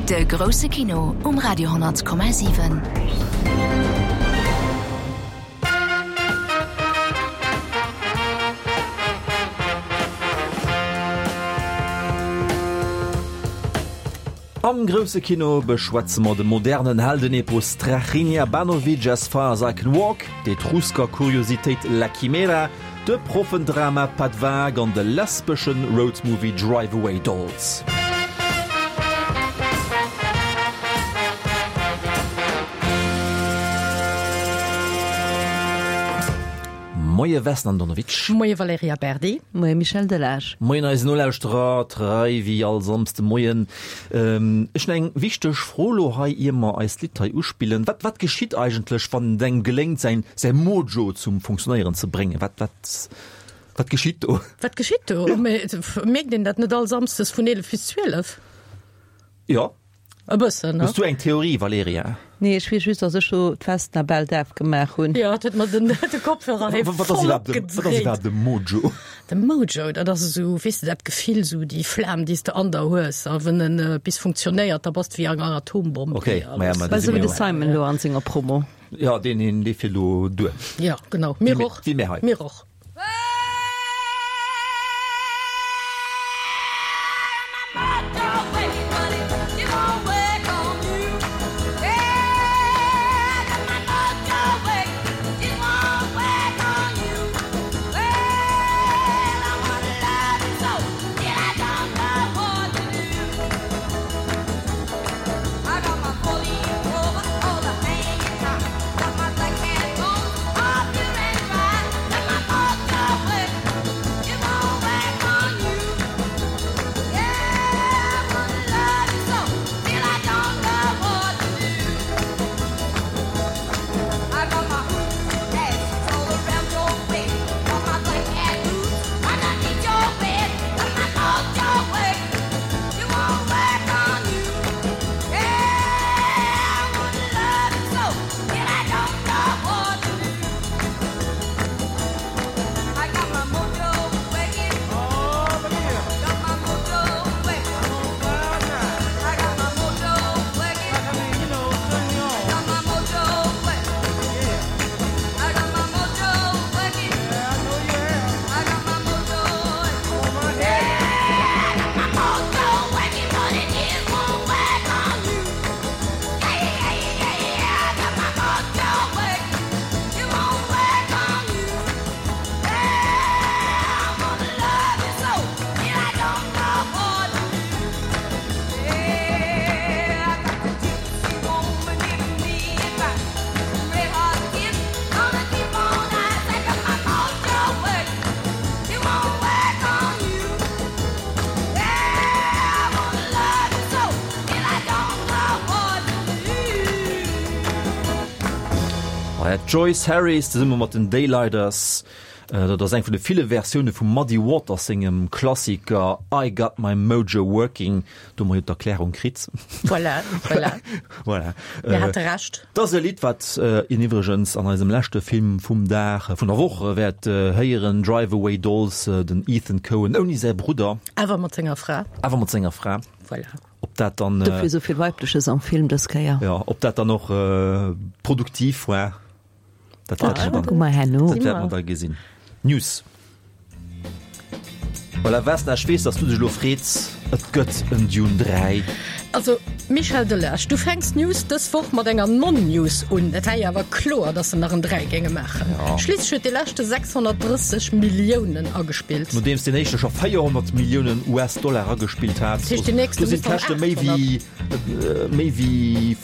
De grousse Kino um Radio 10,7. Am grousse Kino beschwätze mer de modernen Heldenepos Strahinja Banovic As Far As I Can Walk, d'Etrusker-Kuriositéit La Chimera, de Proffendrama Pas de vague an de lesbeschen Roadmovie Drive Away Dolls. Moie Vesna Andonovic. Moie Valerija Berdi. Moie Michel Delage. Moien eisen Nolauschterer, trei wéi all Samsde Moien. Ech hunn eng wichteg Fro lo hei, ier mer eist Lidd hei uspillen. Wat, wat geschitt eigentlech, wann et engem geléngt, säin, säi Mojo zum Funktionéieren ze bréngen? Wat, wat, wat geschitt do? Wat geschitt do? Mierkt een dat net all Samsdes vun 11 bis 12? Jo. E bëssen, ne? Hues du eng Theorie, Valerija? Nee, ech weess just, dass ech do d'Vesna bal daf gemaach hunn. Jo, et huet mer den, de Kopfhörer hei Wat ass voll iwwerhaapt de, wat ass opgedréit. iwwerhaapt de Mojo? De Mojo, dat ass esou, weess de, dat Gefill, esou déi Flam, déi s de an der hues, a wenn en bis funktionéiert, da bass de wéi eng Atombomm. Okay, déi ma ja, alles. ma da Esou si wéi mir de jo. Simon elo an senger Promo. Jo, deen, deen, dee fiert elo duer. Jo, genau. Mir Wéi mir, och. wéi mir hei. Mir och. D'Joyce Harris zesumme mat den Daylighters, dat ass eng vun de ville Versioune vum Muddy Waters sengem Klassiker I Got My Mojo Working. Do hu mer jo d'Erklärung kritt. Voilà, voilà. Voilà. Mir hate Recht. Dat ass e Lidd, wat een iwwregens an eisem leschte Film vum Dag, vun der Woch wäert héieren, Drive Away Dolls, den Ethan Coen ouni säi Brudder. Awer mat senger Fra. Awer mat senger Fra. Voilà. Ob dat dann. Dofir esou vill Weibleches am Film dës Kéier. Jo, ob dat dann och produktiv war, dat wäerte mer Kucke mer herno. Dat wäerte mer da gesinn. News. Voilà, Vesna, ech weess, dass du dech elo freets, et gëtt en Dune 3. Also, Michel Delage, du fänks d'News dës Woch mat enger Non-News un. Et war jo awer kloer, dass se nach en 3 géinge maachen. Schliisslech huet dee leschte 630 Milliounen agespillt. Nodeems deen éischte scho 400 Milliounen US-Dollar agespillt hat, Dat heescht, deen nächste do sinn muss dann d'Käschte méi 800. wéi, méi wéi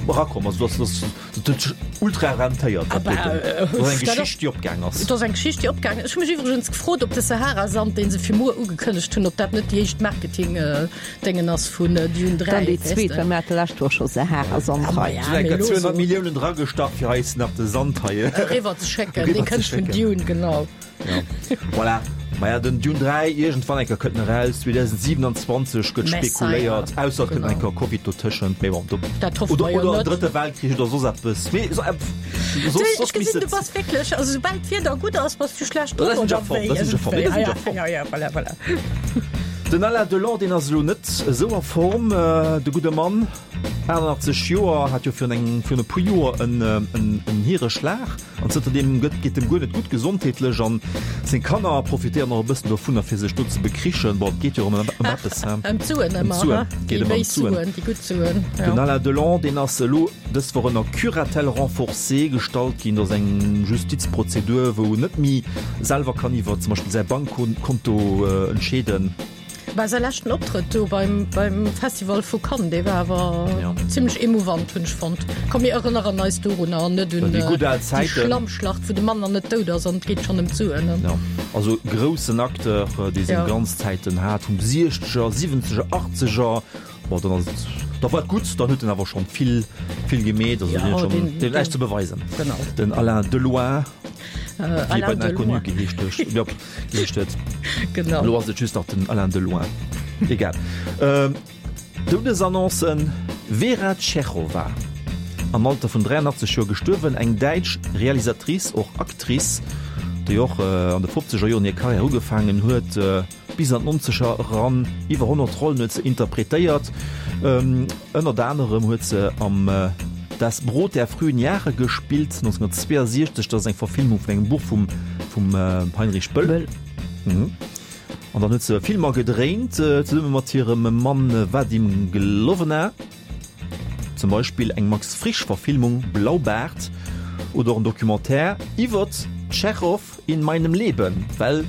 erakomm. Also dat ass, dat huet sech ultra rentéiert, dat doten. Dat ass eng Geschicht, déi opgaang ass. Et ass eng Geschicht, déi opgaang ass. Ech hu mech iwwregens gefrot, ob de Sahara-Sand, dee se fir muer ugekënnegt hunn, ob dat net déi éischt Marketing-Déngen ass vun Dune 3. Dann déi zweet, well mir hate lescht Woch scho Sahara-Sand hei. Sinn enker 200 Milliounen dragestach, fir eis nach de Sand hei eriwwer ze schécken. Dee kënnt vun Dune, genau. Ja. Voilà. Maja, den Dune 3, iergendwann enker kënnt en eraus, 2027 gëtt spekuléiert, ausser et kënnt enker Covid dotëschent, mee bon, do, Dat hoffe oder, mer jo oder en net. drëtte Weltkrich oder soss eppes, mee so, äh, Du, soss, ech soss gesinn, misst du et. bass wierklech, also soubal d'Wieder gutt ass, bass du schlecht Da drop, sinn ech a oder Form, wéi? da sinn ech a Form, nee, da sinn ech a Ja, Form. ja, ja, voilà, voilà. Den Alain Delon, deen ass elo net esou a Form, de gudde Mann, 88 Joer, hat jo virun engem, virun e puer Joer en, en, en Hiereschlag an zënterdeem gëtt, geet em guer net gutt gesondheetlech an seng Kanner profitéieren och e bëssen dovunner fir sech do ze bekrichen. Bon, et geet jo ëm, ëm eppes, he? Ëm d'Suen Ëm ëmmer, d'Suen, he? geet Déi ëmmer ëm béis d'Suen. Suen, déi gutt Suen, jo. Den Alain Delon, deen ass elo dës Woch ënner Curatelle renforcée gestallt ginn. Dat ass eng Justizprozedur, wou en net méi selwer kann iwwer zum Beispill säi Bankkonto entscheeden. Bah, säi leschten Optrëtt do beim, beim Festival vu Cannes, dee war awer Ja. zimmlech emouvant, hunn ech fonnt. Komm, mir erënneren eis dorunner an net un Déi gutt al déi Zäiten. Schlammschlacht, wou de Mann nach net dout ass an et geet schonn ëm d'Suen. Ja, also groussen Acteur, dee seng Ja. Glanzzäiten hat vum Siechzeger, Siwwenzeger, Achtzeger. Bon, dann ass et, da war et gutt, dann huet en awer schonn vill, vill gemeet, also Ja, deen huet schonn, deen, deen huet näischt ze beweisen. Genau. Den Alain Deloin, Äh, wéi e Alain bei den Deloin. Inconnus geheescht huet, jo, geheescht huet. Genau. Elo ass et just nach den Alain Deloin. Egal. Ähm, Doudesannoncen, Vera Tschechowa, am Alter vun 83 Joer gestuerwen, eng däitsch Realisatrice, och Actrice, déi och an de fofzeger Joren hir Karriär ugefaangen huet, Bis an d'Nonzeger eran iwwer 100 Rollen huet se interpretéiert. Ënnert anerem huet se am Das Brot der frühen Jahre gespillt, 1962, dat ass eng Verfilmung vun engem Buch vum vum Heinrich Böll. An dann huet se Filmer gedréint zesumme mat hirem Mann Vadim Glowna, zum Beispill eng Max Frisch-Verfilmung Blaubaart oder och en Documentaire iwwert Tschechow In meinem Leben, well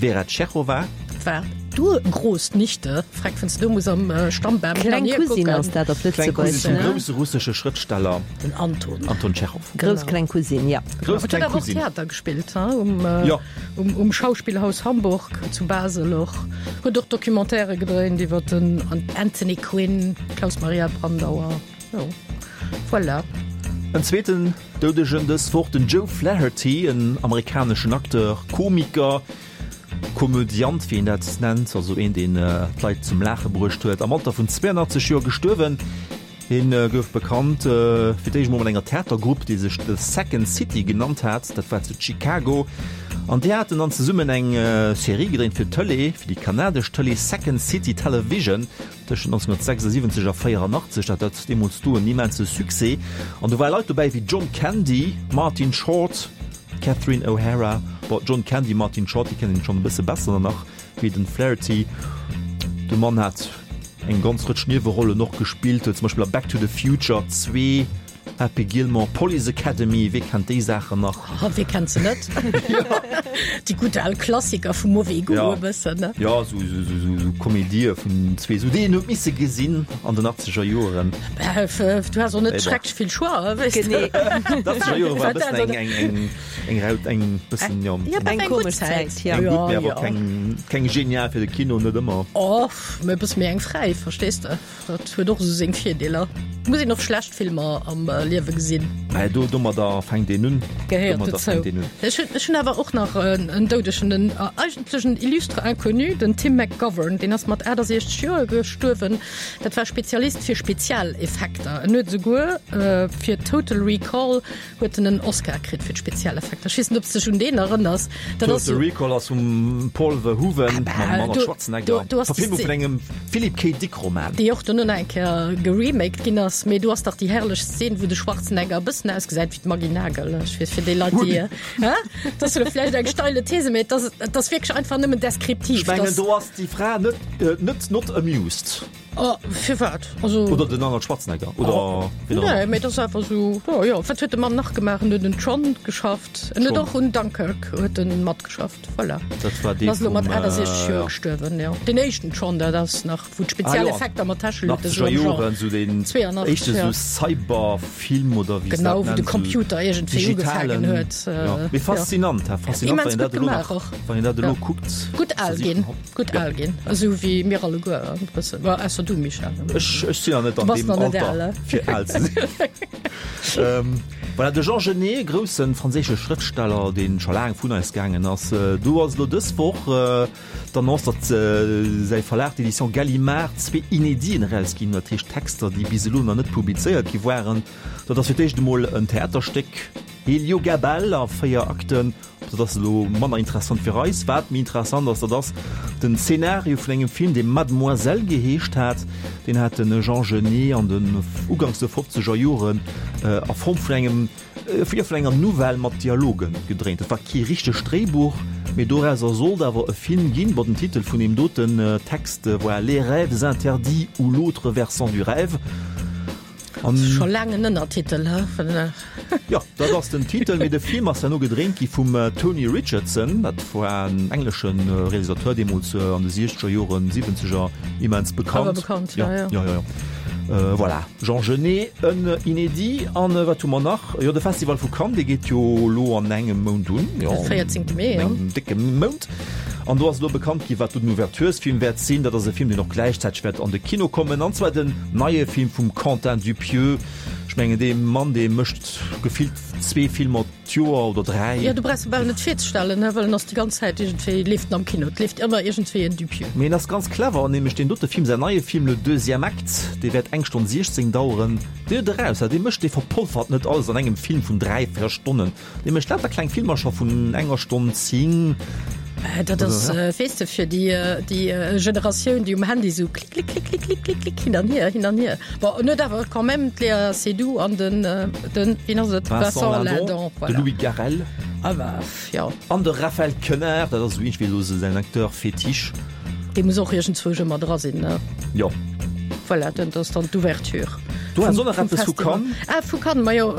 Vera Tschechowa. War d'Urgroßnichte, freck wenn's du muss am Stammbam Kleng Cousine ass dat op Kleng Cousine Lëtzebuergesch, vum ne? grousse russesche Schrëftsteller Den Anton. Anton Tschechow. Grouss kleng Cousine, ja. Grouss Huet kleng awer och Cousine. Theater gespillt, ha? Um, Jo. um, um Schauspielhaus Hamburg, zu Basel och. Huet och Documentairë gedréint iwwer den Anthony Quinn, Klaus Maria Brandauer. Jo, voilà. En zweeten Doudegen dës Woch, den Joe Flaherty, en amerikaneschen Acteur, Komiker, Komödiant, wéi een dat nennt, also een, deen d'Leit zum Laache bruecht huet, am Alter vun 82 Joer gestuerwen. Hien gouf bekannt fir d'éischt emol mat enger Theatergrupp, déi sech The Second City genannt hat, dat war zu Chicago, an déi haten dann zesummen eng Serie gedréint fir d'Tëlee, fir déi kanadesch Tëlee Second City Television. Tëschent 1976 a 84 hat dat deemools do en immense Succès an do ware Leit dobäi wéi John Candy, Martin Short, Catherine O'Hara. Bon, John Candy, Martin Short, déi kennen een schonn e bësse besser nach wéi den Flaherty. De Mann hat eng ganz Rëtsch Niewerollen och gespillt, huet zum Beispill a Back to the Future 2, Happy Gilmore, Police Academy, wee kennt déi Saachen nach? Oh, wee kennt se net? Déi gutt al Klassiker vum mauvais goût Ja. e bëssen, ne? Ja, sou, sou, sou, sou, sou Komedië vun zwee, sou déi een huet misse gesinn an den achtzeger Joeren. Bah, f- du has och net Mee bon. schrecklech vill Choix, weess de. Genee. D'Achtzeger Joere war e Wat bëssen dat, eng, eng, eng, eng Raut, eng bëssen, ja, Ja, eng, bah, Eng eng gutt komesch Zäit. Zäit, ja. eng gutt, Ja, mee awer ja. keng, keng genial fir de Kino, net ëmmer. Oh, mee e bësse méi eng fräi, verstees de? Dat huet och esou seng Virdeeler. Muss een och schlecht Filmer am Liewe gesinn. Mä do, domadder fänkt een un. Gehéiert Domadder dozou. fänkt een un. Ech hunn, ech hunn awer och nach en, en Doudegen, en eigentlech en illustre Inconnu, den Tim McGovern. Deen ass mat 68 Joer gestuerwen. Dat war Spezialist fir Spezialeffekter. En huet esouguer fir Total Recall Huet en en Oscar kritt fir d'Spezialeffekter. Ech weess net, ob s dech un deen erënners. Dat ass Total Recall ass vum Paul Verhoeven mam Arnold Schwarzenegger. Verfilmung vun engem Philip K. Dick Roman. Déi och dono nach eng Kéier geremaked ginn ass. Mee do ass dach déi herrlech Szen, wou de Schwarzenegger e bëssen ausgesäit wéi d'Maggy Nagel. Ech weess, fir déi Leit, déi, hä? Dat ass elo vläicht eng steile These, mee et ass, et ass wierklech einfach nëmmen deskriptiv. Ech mengen, do ass déi Fra net, net not amused. Oh, firwat? Also. Oder den Arnold Schwarzenegger oder wien och ëmmer. Nee, mee dat ass einfach esou, jo, jo. Wat huet de Mann nach gemaach? En huet un Tron geschafft. En huet och un Dunkirk huet en matgeschafft. Voilà. Dat war dee En ass elo mat vum, 68 Joer ja. gestuerwen, jo. Deen éischten Tron, dat ass nach, wou d'Spezialeffekter mat Täscheluten Achtzeger esou am Genre. Joren, esou deen 82, éischte ja. esou Cyberfilm oder wéi se dat Genau, wou de nennen, esou Computer iergendwéi ugefaangen digitalen, huet, jo. Mee jo. faszinant, ha, faszinant, Immens wann een dat gutt elo gemaach nach, och. wann een dat elo Ja. kuckt. Gutt al ginn. Gutt al ginn, esou wéi mir alleguer e bëssen, bon, ausser du Michel. Ech, ech sinn nach net an deem Alter fir al ze sinn. Voilà, de Jean Genet, grousse franséische Schrëftsteller, dee scho laang vun eis gaangen ass, do ass elo dës Woch d'Annonce, datt säi Verlag, d'Éditions Gallimard, zwee Inéditen erausginn, dat heescht Texter, déi bis elo nach net publizéiert gi waren. Dat ass fir d'éischt emol en Theaterstéck. Heliogabal a 4 Akten. Dat ass elo manner interessant fir eis. Wat méi interessant ass, dat ass den Zeenario vun engem Film, dee Mademoiselle geheescht hat. Deen hat de Jean Genet an den uganks de fofzeger Joren a Form vun engem, jo, vun enger Novell mat Dialogen gedréint. Dat war kee richtegt Dréibuch, mee dorauser sollt awer e Film ginn. Bon, den Titel vun deem doten Text war Les rêves interdits ou l'autre versant du rêve. An Scho laang en Ënnertitel, he? Jo, dat ass den Titel, mee de Film ass herno gedréint gi vum Tony Richardson. Dat war en englesche Realisateur, deemools an de siechzeger Joren, siwwenzeger immens bekannt. Awer bekannt, ja, ja. Ja, ja, ja. Voilà, Jean Genet, en Inédit. An wat hu mer nach? Jo, de Festival vu Cannes, dee geet jo elo an engem Mount un. De 14. Mee, jo. An engem décke Mount. An do ass elo bekannt gi wat do den Ouverturesfilm wäert sinn. Dat ass e Film, deen och gläichzäiteg wäert an de Kino kommen, an zwar den neie Film vum Quentin Dupieux. Ech mengen dee Mann, dee mécht gefillt zwee Filmer d'Joer oder dräi. Jo, du brauchs e bal net virzestellen, he, well en ass déi ganz Zäit iergendwéi, leeft en am Kino, et leeft ëmmer iergendwéi en Dupieux. Mee en ass ganz clever, nämlech deen dote Film, säin neie Film Le deuxième acte, dee wäert eng Stonn 16 daueren. Dee huet eraus, dee mécht, dee verpolfert net alles an engem Film vun dräi, véier Stonnen. Dee mécht lauter kleng Filmercher vun enger Stonn 10. Dat ass, weess de, fir déi, déi Generatioun, déi um Handy sou klick, klick, klick, klick, klick, klick, klick, hin an hier, hin an hier. Bon, en huet awer quand même d'Léa Seydoux an den, den, wien ass et? Vincent Lindon, voilà. De Louis Garrel. Ah bah, jo. An de Raphaël Quenard, dat ass esou iergendwéi elo säin Acteur fétiche. Dee muss och iergendzwousch ëmmer dra sinn, ne? Jo. Voilà, dat ass dann d'Ouverture. Du has och nach eppes vu Cannes? Ah, vu Cannes, ma jo,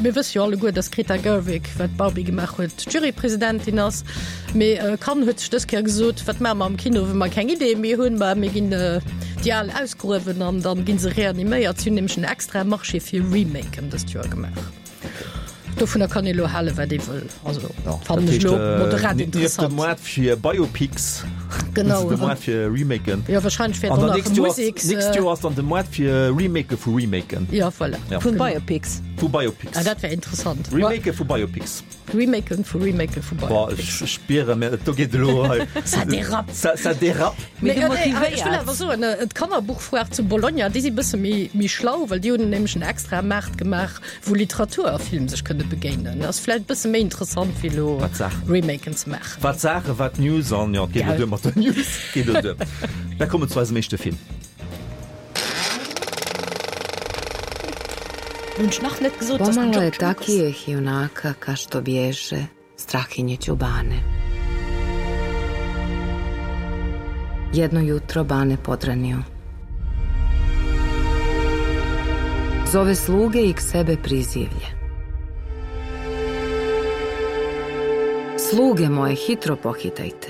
mir wësse jo alleguer, dass d'Greta Gerwig, wat Barbie gemaach huet, d'Jurypresidentin ass. Mee Cannes huet sech dës Kéier gesot, wat maache mer am Kino, wa mer keng Ideeë méi hunn? Ma mir ginn déi al ausgruewen an dann gi se reaniméiert. Si hunn nämlech en extrae Marché fir Remaken dëst Joer gemaach. Dovunner kann ee lo halen, wat ee wëll. Also fannen ech lo moderat interessant. De Moart fir Biopics. Genau. De Moart fir Remaken. Jo, wahrscheinlech wäert och nach Museks. Nächst Joer ass dann de Moart fir Remake vu Remaken. Jo, voilà. Vun Biopics. Vu Biopics. Ah, dat wär interessant. Remake vu Biopics. Remaken vu Remaken vu Biopics. Ech spieren, mä do geet elo hei. Ça dérape. Ça dérape. Mee du motivéiers. Ech wëll awer soen, d'Kannerbuchfoire zu Bologna, déi si bësse méi, méi schlau, well déi hunn nämlech en extrae Maart gemaach, wou Literatur a Film sech kënne begéinen. Ass vläicht e bësse méi interessant, wéi elo Remaken ze maachen. Wat Saache, wat News an jo, et geet elo duer mat den News. Geet elo duer. Mir kommen zu eisem éischte Film. Pomalo je takijeh junaka ka što bježe Strahinje Ćubane. Jedno jutro Bane podranio. Zove sluge i k sebe prizivlje. Sluge moje hitro pohitajte.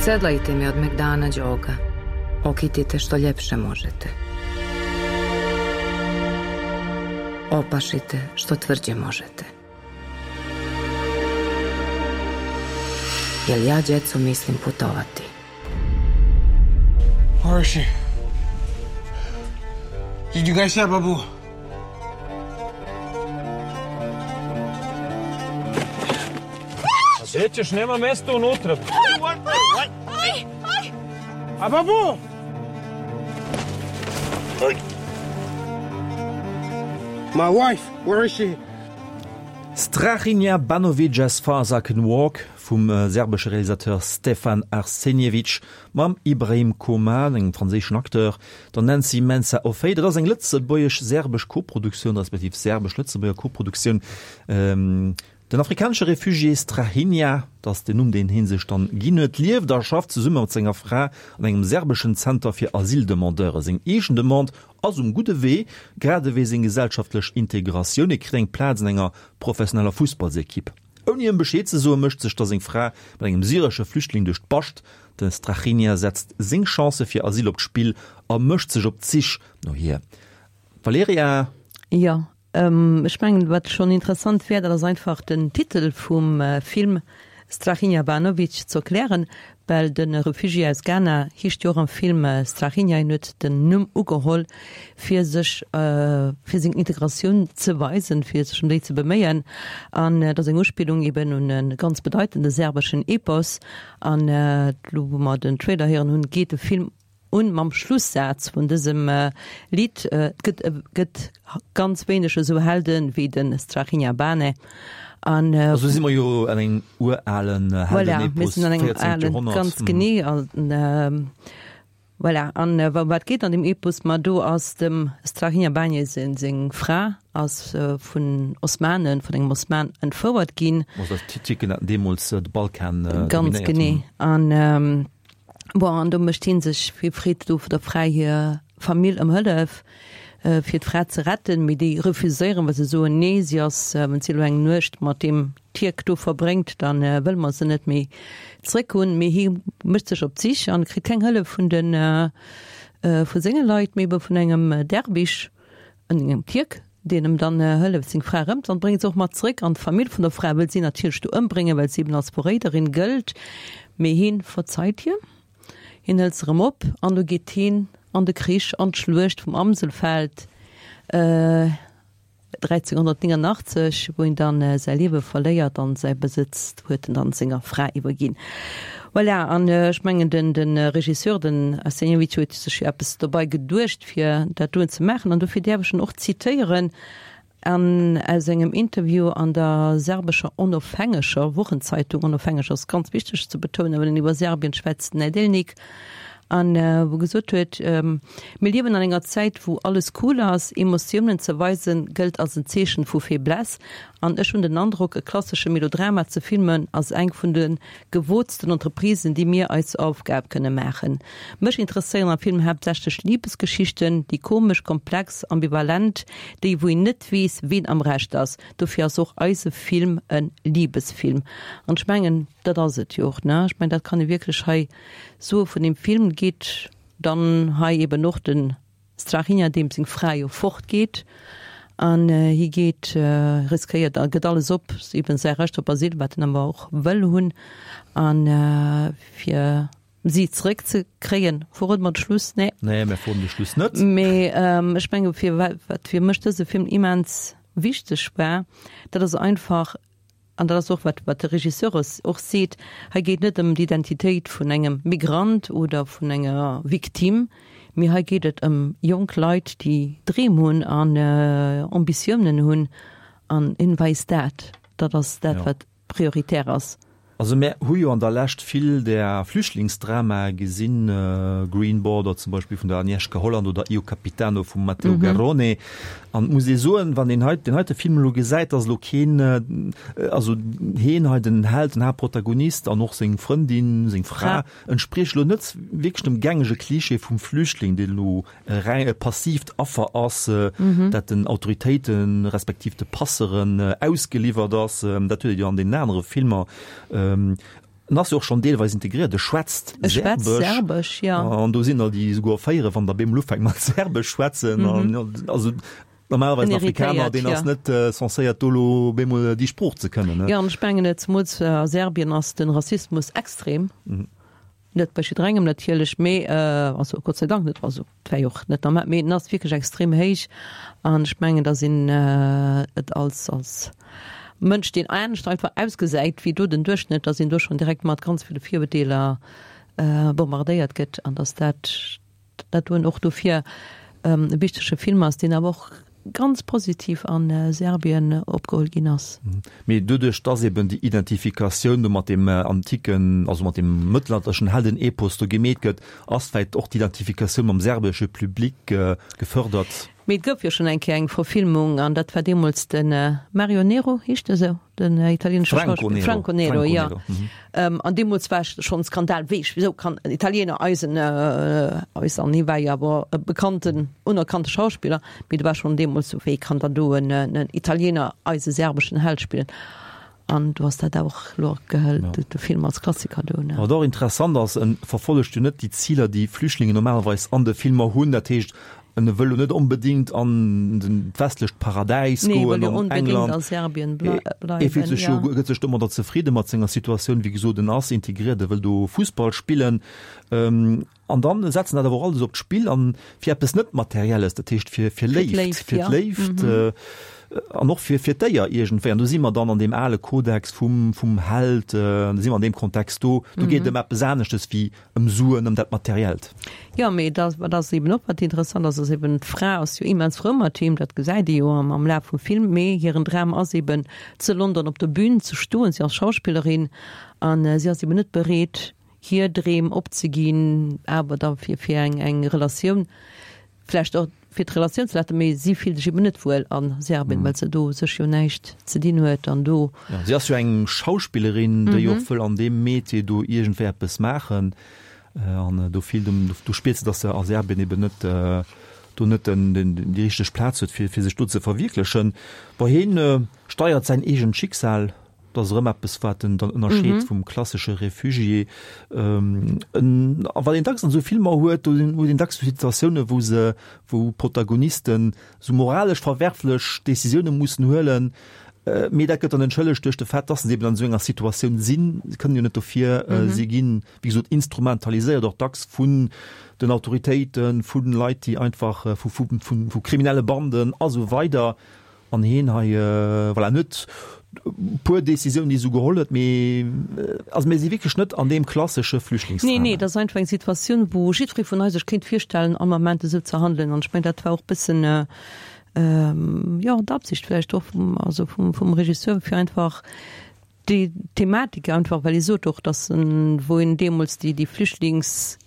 Sedlajte mi od megdana đoga. Okitite što ljepše možete. Opašite što tvrđe možete. Jel ja, djeco, mislim putovati. Where is she? Did you guys have Babu? Gde ćeš, nema mesta unutra. A babu! My wife, where is she? Strahinja Banovic As Far As I Can Walk vum serbesche Realisateur Stefan Arsenjevic mam Ibrahim Koman, engem franséischen Acteur, der Nancy Mensah Offey. Dat ass eng lëtzebuergesch-serbesch Koproduktioun, respektiv serbesch-lëtzebuerger Koproduktioun. Den afrikanesche Refugié Strahinja, dat ass den Numm, deen hie sech dann ginn huet, lieft a schafft zesumme mat senger Fra an engem serbeschen Zenter fir Asyldemandeure. Seng eegen Demande ass um gudde Wee, grad ewéi seng gesellschaftlech Integratioun. E kritt eng Plaz an enger professioneller Fussballsekipp. Ouni ëm Bescheed ze soen, mécht sech da seng Fra mat engem syresche Flüchtling duerch d'Bascht. De Strahinja setzt seng Chancë fir Asyl op d'Spill a mécht sech op d'Sich no hir. Valerija. Jo, ech mengen, wat schonn interessant wär, dat ass einfach den Titel vum Film Strahinja Banovic ze erklären, well de Refugié aus Ghana heescht jo och am Film Strahinja. Hien huet den Numm ugeholl, fir sech, fir seng Integratioun ze weisen, fir sech ëm déi ze beméien. An et ass eng Uspillung eben un e ganz bedeitende serbeschen Epos. An elo, wou mer den Trailer héieren hunn, geet de Film. un mam Schlussaz vun dësem Lidd. Et gëtt gëtt ganz wéineg esou Helden wéi de Strahinja Bane an. Also si mer jo an engem uralen Voilà, mir Heldenepos, sinn an engem 14. alen, Joerhonnert. ganz genee. An voilà, an ëm wat geet an deem Epos? Ma do ass dem Strahinja Bane seng Fra ass vun Osmanen, vun engem Osman entfouert ginn. Also d'Tierken haten deemools de Balkan Ganz dominéiert. genee. An Bon, an do mécht hie sech, hie freet do der Fra hir Famill ëm Hëllef, fir d'Fra ze retten, mee déi refuséieren, well se soen, nee, si ass, wann si elo eng Nuecht mat deem Tierk do verbréngt, da wëlle mer se net méi zréck hunn. Mee hie mécht sech op d'Sich an kritt keng Hëllef vun de vu senge Leit, mee ebe vun engem Derwisch, engem Tierk, deen em dann hëlleft seng Fra erëm an bréngt se och mat zréck an d'Famill vun der Fra wëll si natierlech do ëmbréngen, well si eben als Verréiderin gëllt, mee hien verzeit hir, hien hëlt se erëm op an du geet hien an de Krich, an d'Schluecht vum Amselfeld 1389, wou hien dann säi Liewe verléiert an säi Besëtz huet en dann senger Fra iwwerginn. Voilà, an ech mengen den de Regisseur, den Arsenijevic huet sech jo eppes dobei geduecht fir dat doen ze maachen an dofir däerf ech en och zitéieren an aus engem Interview an der serbescher onofhängeger Wochenzeitung, onofhängeg ass ganz wichteg ze betounen, well en iwwer Serbien schwätzt, Nedeljnik, an wou gesot huet, Mir liewen an enger Zäit wou alles cool ass, Emotiounen ze weisen gëllt als en Zeechen vu Faiblesse an ech hunn den Androck e klassesche Melodrama ze filmen ass eng vun de gewootsten Entreprisen, déi mir eis zur Aufgab kënne maachen. Mech interesséieren am Film haaptsächlech Libesgeschichten, déi komesch, komplex, ambivalent, déi wou een net weess, ween am Recht ass. Dofir ass och eise Film e Libesfilm. An ech mengen, dat ass et jo och, ne? Ech mengen, dat kann ee wierklech hei soe vun deem Film. Geet dann hei eben och den Strahinja, deem seng Fra jo fort geet an hie geet, riskéiert a gëtt alles op, eben säi Recht op Asyl, wat en awer och wëll hunn, an fir si zeréck ze kréien. Verrode mer de Schluss? Nee. Nee, mir verroden de Schluss net. Mee ech menge fir wat fir mech dëse Film immens wichteg war, dat ass einfach, An dat ass och wat wat de Regisseur och seet, hei geet net ëm d'Identitéit vun engem Migrant oder vun enger Victime, mee hei geet et ëm jonk Leit, déi Dreem hunn an Ambitiounen hunn an een weist dat. Dat ass dat, wat prioritär ass. Also mär hu jo an der Lescht vill där Flüchtlingsdramae gesinn, Green Border zum Beispill vun der Agnieszka Holland oder Io Capitano vum Matteo Garrone. An et muss ee soen, wann een hei deen heite Film elo gesäit, ass elo keen, also heen hei, den Held, den Haaptprotagonist an och seng Frëndin, seng Fra, entsprieche elo net wierklech dem gängege Klischee vum Flüchtling, deen elo e reng e passiivt Affer ass, dat den Autoritéiten, respektiv de Passeren ausgeliwwert ass. Dat huet ee jo an deenen anere Filmer. En ass jo och schonn deelweis integriert, e schwätzt Serbesch. An do sinn der, déi esouguer erféieren, wann der bemol ufänkt mat Serbesch schwätzen. Also normalerweis en Afrikaner, deen ass net censéiert do elo bemol déi Sprooch ze kënnen. Jo, an ech mengen, zemools a Serbien ass de Rassismus extrem. Net bei jidderengem natierlech, mee, also Gott sei Dank net, also et wär jo och net normal, mee en ass wierklech extrem héich an ech mengen, datt een et als als Mënsch, deen anescht einfach ausgesäit wéi do den Duerchschnëtt, datt een do schonn direkt mat ganz ville Virurteeler bombardéiert gëtt an datt dat dat doen och dofir e wichtege Film ass, deen awer och ganz positiv a Serbien opgeholl ginn ass. Mee doduerch, dass eben déi Identifikatioun do mat deem antiken, also mat deem mëttelalterlechen Heldenepos do gemeet gëtt, ass vläicht och d'Identifikatioun mam serbesche Public gefördert. Mee et gouf jo schonn eng Kéier eng Verfilmung, an dat war deemools de Mario Nero, heescht e sou? Den italienesche Franco Nero. Franco Nero, ja. Ähm, an deemools war schonn Skandal, wéi, wieso kann en Italiener eisen, äh, eis, an hie war jo awer e bekannten, unerkannte Schauspiller, mee do war schonn deemools sou, wéi kann dann do en, en Italiener eise serbeschen Held spillen? An du ass dat och lo gehëlt, ja. de Film als Klassiker do. Ne? Wat och interessant ass, en verfollegt jo net déi Ziler, déi Flüchtlingen normalerweis an de Filmer hunn, dat heescht, En wëll lo net onbedingt an den westlecht Paradäis Nee, goen, wëll jo an onbedingt England. a Serbien blei E fillt bleiwen, sech jo, ja. gëtt sech domadder zefridde mat senger Situatioun. Wéi gesot, en ass integriert, e wëll do Fussball spillen. An dann setzen dat awer och alles op d'Spill an fir eppes net Materielles, dat heescht fir fir Léift, fir d'Léift an och fir fir d'Éier iergendwéi. An do si mer dann an deem ale Kodex vum vum Held, do si mer an deem Kontext do. Do geet et ëm eppes aneschtes wéi ëm Suen, ëm dat Materiellt. Jo, mee dat wat ass eben och wat interessant ass, ass eben d'Fra ass jo immens frou mat him, dat gesäit ee jo am am Laf vum Film, mee hiren Dram ass eben zu London op der Bühn ze stoen. Si ass Schauspillerin an si ass eben net bereet hir Dreem opzeginn, awer da fir fir eng eng Relatioun, vläicht och fir d'Relatioun ze laten, mee si fillt sech eben net wuel a Serbien, well se do sech jo näischt ze dinn huet an do. Jo, si ass jo eng Schauspillerin, déi och wëll an deem Métier do iergendwéi eppes maachen an do fillt em, do spiert se, datt se a Serbien eben net do net den den déi richteg Plaz huet fir fir sech do ze verwierklechen. Bon, hien steiert säin eegent Schicksal. Dat ass erëm eppes, wat en dann ënnerscheet vum klassesche Refugié. A wat een dacks an esou Filmer huet, do huet een dacks esou Situatiounen, wou se, wou Protagonisten esou moralesch verwerflech Decisioune mussen huelen, mee dat gëtt dann entschëllegt duerch de Fait, dass se eben an esou enger Situatioun sinn. Se kënnen jo net dofir, si ginn, wéi gesot, instrumentaliséiert, och dacks vun den Autoritéiten, vu Leit, déi einfach, vu, vu, vu kriminelle Banden a sou weider. An heen hei, voilà, en huet e puer Décisiounen, déi e sou geholl huet, mee also mir si wierklech net an deem klassesche Flüchtlingsdrama. Nee, nee, dat ass einfach eng Situatioun, wou jiddweree vun eis sech kéint virstellen, am Ament esou ze handelen. An ech mengen, dat war och e bëssen, jo, d'Absicht vläicht och vum, also vum, vum Regisseur, fir einfach déi Thematik einfach, well hie sot och, datt en, wou en deemools déi, déi Flüchtlings,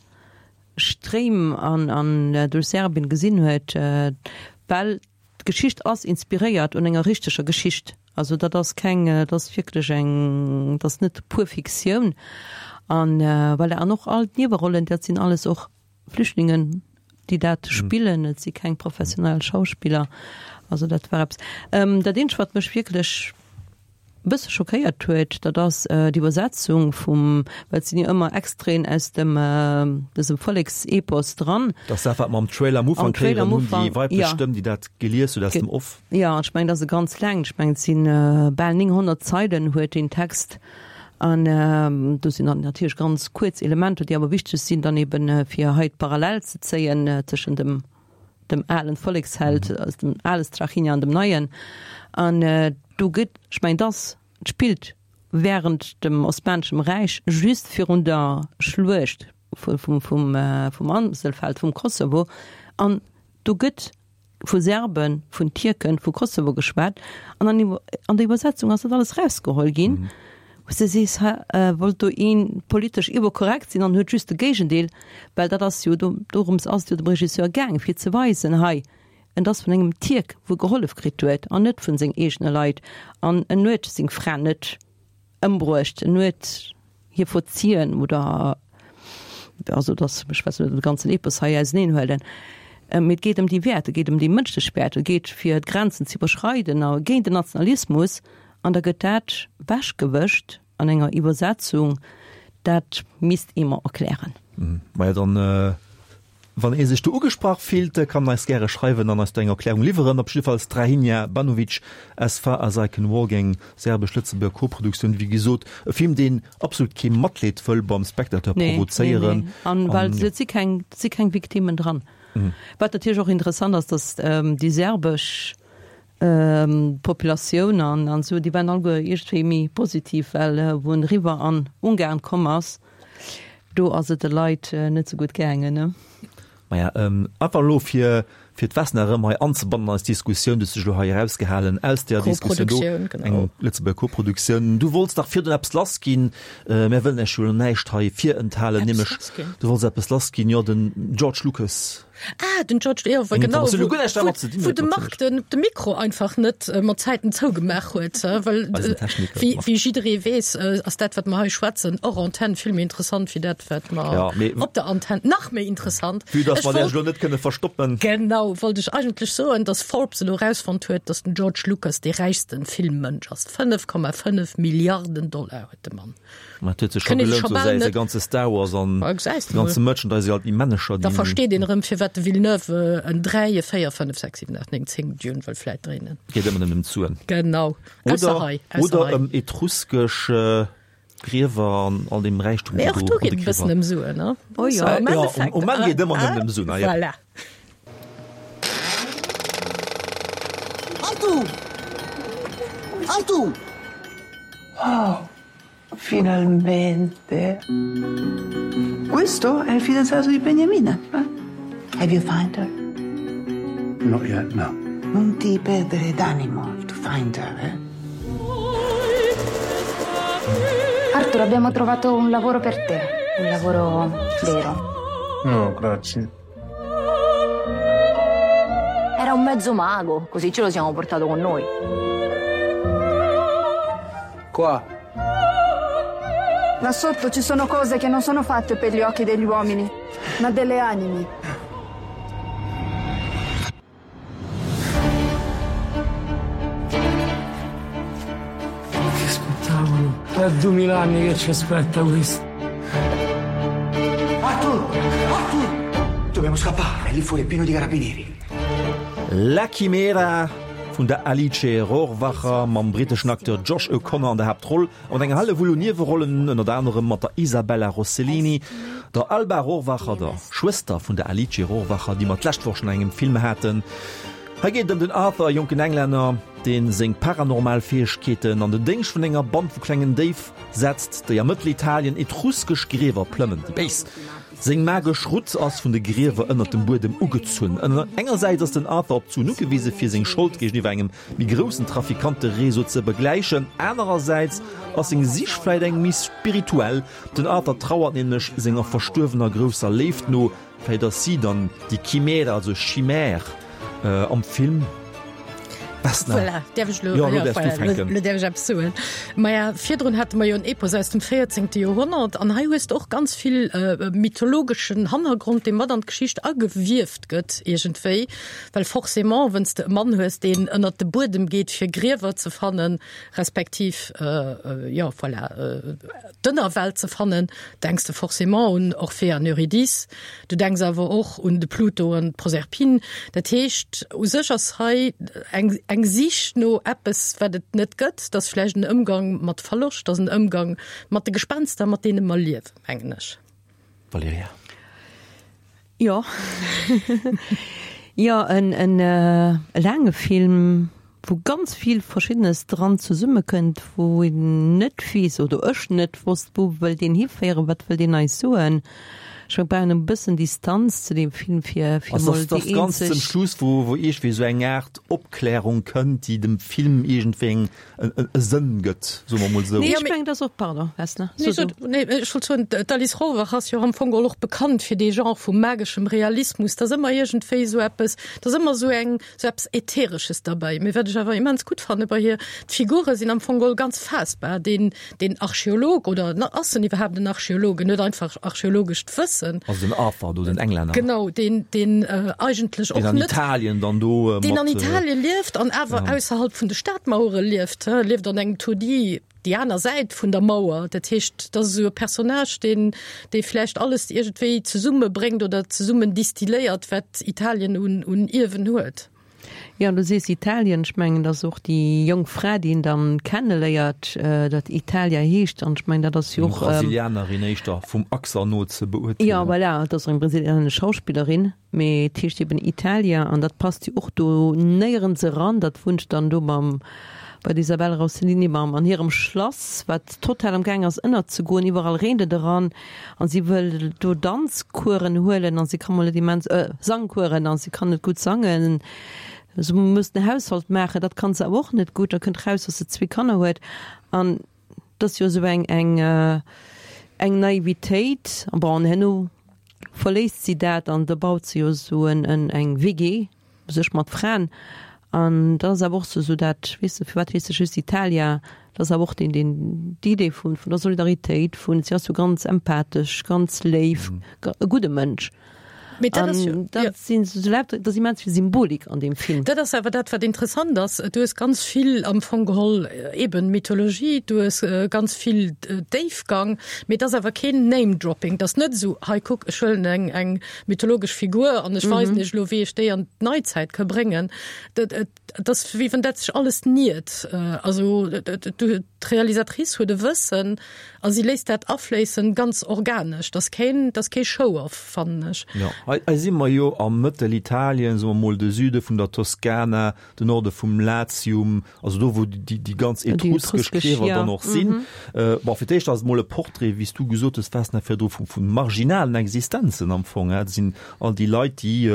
Stréim an, an duerch Serbien gesinn huet, well D'Geschicht ass inspiréiert un enger richteger Geschicht. Also dat ass keng, dat ass wierklech eng, dat ass net pur Fiktioun. An voilà, an och all d'Niewerollen, dat sinn alles och Flüchtlingen, déi dat spillen. Et si keng professionell Schauspiller. Also dat war eppes. Dat eenzegt, wat mech wierklech e bësse schockéiert huet, dat ass d'Iwwersetzung vum, well et sinn jo ëmmer Extraiten aus dem dësem Volleksepos dran. Dat ass dat, wat mer am Trailer am Ufank héieren hunn, déi weiblech Stëmm, déi dat gelies huet aus dem Off. Jo, an ech mengen, dat ass e ganz laangt, ech mengen, et si bal 900 Zeilen huet deen Text. An do sinn dann natierlech ganz kuerz Elementer, déi awer wichteg sinn, dann eben fir hei d'Parallel ze zéien tëschent dem dem alen Volleksheld, also dem ale Strahinja an dem neien. An do gëtt, ech mengen, dass spillt während dem Osmaneschem Räich, just virun der Schluecht vum, vum, vum Amselfeld, vum Kosovo. An do gëtt vu Serben, vun Tierken, vu Kosovo geschwat. An an, an der Iwwersetzung ass dat alles rausgeholl ginn. Wou s de sees, hä, wollt do een politesch iwwerkorrekt sinn an huet just de Géigendeel, well dat ass jo, dorëms ass et jo dem Regisseur gaang, fir ze weisen, hei, en ass vun engem Tierk, wou gehollef kritt huet, an net vun seng eegene Leit, an en huet seng Fra net ëmbruecht, en huet hir verzien oder, also dass, ech wess net, de ganzen Epos hei auseneen huelen. Mee et geet ëm déi Wäerter, et geet ëm déi mënschlech Wäerter, et geet fir d'Grenzen ze iwwerschreiden a géint den Nationalismus. An da gëtt dat wechgewëscht an enger Iwwersetzung. Dat misst ee mer erklären. Maja, dann, wann ee sech do ugesprach fillt, kann en eis gäre schreiwen an eis do eng Erklärung liwweren. Op jidde Fall Strahinja Banovic, As Far As I Can Walk, eng serbesch-lëtzebuerger Koproduktioun. Wéi gesot, e Film, deen absolut kee Matleed wëll beim Spectateur provozéieren. Nee, nee. An well et si keng, et si keng Victimmen dran. Wat natierlech och interessant ass, datt déi serbesch Populatioun an an esou, déi waren alleguer iergendwéi méi positiv, well wou en eriwwer an Ungarn komm ass, do ass et de Leit net sou gutt gaangen, ne? Maja, einfach elo fir fir d'Vesna erëm hei anzebannen an eis Diskussioun, du hues dech elo hei erausgehalen aus där Diskussioun do, eng Lëtzebuerger Koproduktioun. Du wollts dach virdrun eppes lassginn, mär wëllen Iech jo elo näischt hei virenthalen, nämlech du wollts eppes lassginn, jo den George Lucas. Ah, den George, jo, well genau, wou, wou, wou de Marc den, de Mikro einfach net äh, mat Zäiten zougemaach huet, äh, well äh, wéi, wéi jidderee weess, äh, ass dat, wat mer hei schwätzen, hors Antenne vill méi interessant wéi dat, wat mer ja, mee, op der Antenne nach méi interessant. Vue dass mer dech elo net kënne verstoppen. Genau, wollt ech eigentlech soen, dass Forbes elo rausfonnt huet, dass den George Lucas dee räichsten Filmmënsch ass. 5,5 Milliarden Dollar huet de Mann. Ma et huet sech scho gelount, sou säi ganze Star Wars an de ganze Merchandise, all déi Männecher, déi. Da versteet een erëm, firwat de Villeneuve en 3, 4, 5, 6, 7, 8, 9, 10 Dune wëll vläit dréinen. Geet ëmmer nëmmen ëm d'Suen. Genau. Oder, oder ëm etruskesch. Griewer an all deem Räichtum, Mee och do geet et e bëssen ëm Suen, ne? Oh jo. Am Jo, Endeffekt. um Enn geet et ëmmer nëmmen ëm Suen, ah jo. Voilà. Arthur! Arthur! Oh, finalmente. Questo è il fidanzato di Beniamina, eh? Have you found her? Not yet, no. Non ti perdere d'animo to find her, eh? Arthur, abbiamo trovato un lavoro per te, un lavoro vero. No, grazie. Era un mezzo mago, così ce lo siamo portato con noi. Qua. Là sotto ci sono cose che non sono fatte per gli occhi degli uomini, ma delle anime. Che spettacolo! È 2000 anni che ci aspetta questo. Arthur! Arthur! Dobbiamo scappare, lì fuori è pieno di carabinieri. La Chimera vun der Alice Rohrwacher mam britteschen Acteur Josh O'Connor an der Haaptroll a mat enger Hellewull un Niewerollen, ënnert anerem mat der Isabella Rossellini, der Alba Rohrwacher, der Schwëster vun der Alice Rohrwacher, déi mer d'lescht Woch schonn an engem Film haten. Hei geet et ëm den Arthur, e jonken Englänner, dee seng paranormal Fäegkeeten an den Déngscht vun enger Band vu klengen Déif setzt, déi a Mëttelitalien etruskesch Griewer plëmmen. Déi Béis! Seng magesch Rutt ass vun de Griewer ënnert dem Buedem ugezunn. Engersäits ass den Arthur op d'Suen ugewise fir seng Schold géigeniwwer engem méi groussen Trafikantereseau ze begläichen, anerersäits ass seng Sich vläit eng méi spirituell. Den Arthur trauert nämlech senger verstuerwener grousser Léift no. Vläit ass si dann déi Chimäre, also Chimère am Film. Vesna. Voilà, däerf ech lo, jo, lo däerfs du fänken. Lo däerf ech eppes soen. Maja, virdrun hate mer jo en Epos aus dem 14. Joerhonnert an hei hues de och ganz vill äh, mythologeschen Hannergrond, dee mat an d'Geschicht agewieft gëtt iergendwéi, well forcément, wenn's de e Mann hues, deen ënnert de Buedem geet, fir Griewer ze fannen, respektiv, äh, jo, voilà, äh, d'Ënnerwelt ze fannen, denks de forcément un Orphée an Eurydice, du denks awer och un de Pluto an d'Proserpine. Dat heescht, u sech ass hei eng, eng Sich no eppes, wat et net gëtt. Dat ass vläicht en Ëmgang mat Verloscht, dat ass en Ëmgang mat de Gespenster, mat deene mer liewen, mengen ech. Valerija. Jo. Jo, en, en laange Film, wou ganz vill Verschiddenes dran zesummekënnt, wou een net weess, oder ech net wosst, wou wëll deen hiféieren, wat wëll deen eis soen. Ech mengen, brauch een e bëssen Distanz zu deem Film, fir, fir Also mol ass déi ganz zum eenzeg. Schluss, wou, wou iergendwéi esou eng Aart Opklärung kënnt, déi dem Film iergendwéi eng, e Sënn gëtt, soe mer emol esou. Nee, ech mengen, dass och, pardon, Vesna, so du. Nee, ech wollt soen, d'Alice Rohrwacher ass jo am Fong geholl och bekannt fir dee Genre vum mageschem Realismus. Da ass ëmmer iergendwéi esou eppes, da ass ëmmer esou eng, esou eppes Ätheresches derbäi. Mee wat ech awer immens gutt fanne bei hir, d'Figure sinn am Fong geholl ganz faassbar. Deen, deen Archeolog, oder ass en iwwerhaapt en Archeolog? En huet einfach archeologescht Wëssen. Also den Arthur do, den Englänner. Genau, deen, deen eigentlech och Deen an net. Italien dann do mat. Deen an Italien lieft an awer Ja. ausserhalb vun de Stadmauere lieft, he, lieft an engem Taudis, déi aner Säit vun der Mauer. Dat heescht, dat ass esou e Personnage, deen, dee vläicht alles iergendwéi zesummebréngt oder zesummen distilléiert, wat Italien un, un Ierwen huet. Jo, an du sees Italien, ech mengen, datt och déi jonk Fra, déi en dann kenneléiert, datt Italia heescht, an ech mengen, dat ass jo Eng och. Brasilianerin éischter, vum Accent no ze beurteelen. Jo, voilà, et ass och eng brasilianesch Schauspillerin, mee et heescht eben Italia, an dat passt jo och do néierens eran. Dat wunnt dann do mam, bei der Isabella Rossellini mam, an hirem Schlass, wat total am Gaang ass ënnerzegoen, iwwerall reent et eran. An si wëll do Danzkueren huelen an si ka mol net immens, äh, Sangkueren an si kann net gutt sangen. Se muss den Haushalt maachen, dat kann se awer och net gutt. Da kënnt raus, dass se zwee Kanner huet. An dat ass jo esou eng, eng, eng Naivitéit. An bon, an herno verléisst si dat an da baut se jo esou en, en, eng WG. Sech mat Fraen an dat ass awer och sou dat, weess de, firwat heescht se just Italia, dat ass awer och deen, deen, d'Idee vun, vun der Solidaritéit, vun, si ass jo ganz empathesch, ganz léif, e gudde Mënsch. Mee dat ass jo, An dat sinn esou lauter, dat ass immens vill Symbolik an deem Film. Dat ass awer dat, wat interessant ass. Du hues ganz vill am Fong geholl eben Mythologie, du hues ganz vill Déifgang, mee et ass awer keen Name-Dropping. Et ass net esou, hei kuck, ech huelen eng, eng mythologesch Figur an ech weisen iech elo, wéi ech déi an d'Neizäit ka bréngen. Dat, et ass wéi wann dat sech alles niert. Also d'Realisatrice huet e Wëssen a si léisst dat afléissen, ganz organesch. Dat ass keen, dat ass kee Show-off, fannen ech. Jo, hei, hei si mer jo am Mëttelitalien, soe mer mol de Süde vun der Toskana, de Norde vum Latium, also do wou déi, déi ganz etruskesch Griewer dann och sinn. Bon, fir d'éischt ass et mol e Portrait, wéi s du gesot hues, Vesna, virdru, vu, vu marginalen Existenzen am Fong, dat sinn all déi Leit, déi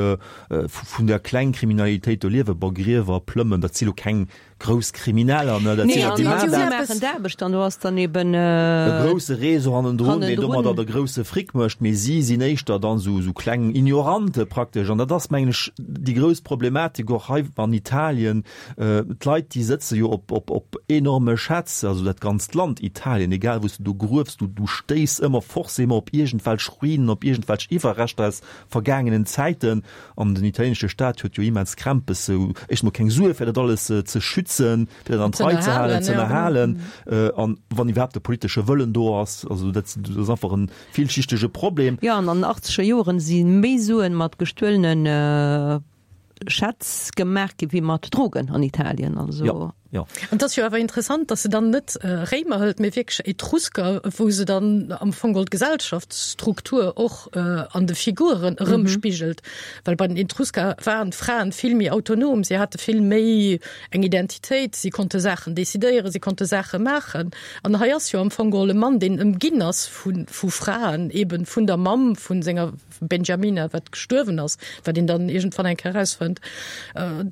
vun der Klengkriminalitéit do liewen, bon, Griewer plëmmen, dat si lo keng grouss Krimineller, ne, dat sinn der, déi maachen dat. Maachen d'Aarbecht an do ass dann eben. E grousse Réseau hannendrun, deen domadder de grousse Fric mécht, mee si sinn éischter dann esou, esou kleng Ignorante praktesch. An dat ass, mengen ech, déi grouss Problematik och hei an Italien. D'Leit, déi sëtze jo op, op, op enorme Schätz, also dat ganzt Land Italien, egal wou s du do gruefs, du, du stéiss ëmmer forcément op iergendwelch Ruinen, op iergendwelch Iwwerreschter aus vergaangenen Zäiten, an den italienesche Staat huet jo immens Krämpes, sou éischt mol keng Sue fir dat alles ze schützen, fir dat an d'Rei ze halen, ze ënnerhalen, an wann iwwerhaapt de politesche Wëllen do ass. Also dat ass einfach e villschichtege Problem. Jo, an an den achtzeger Joren si méi Suen mat gestuelene Schätz gemaach gi wéi mat Drogen an Italien. Also. Jo, jo. An et ass jo awer interessant, datt se dann net Réimer hëlt, mee wierklech Etrusker, wou se dann am Fong geholl d'Gesellschaftsstruktur och an de Figuren erëmspigelt. Well bei den Etrusker waren d'Fraen vill méi autonom, si hate vill méi eng Identitéit, si konnte Saachen decidéieren, si konnte Saache maachen. An hei ass jo am Fong geholl e Mann, deen ëmginn ass vu vu Fraen, eben vun der Mamm vu senger Benjamina, wat gestuerwen ass, wat een dann iergendwann eng Kéier erausfënnt,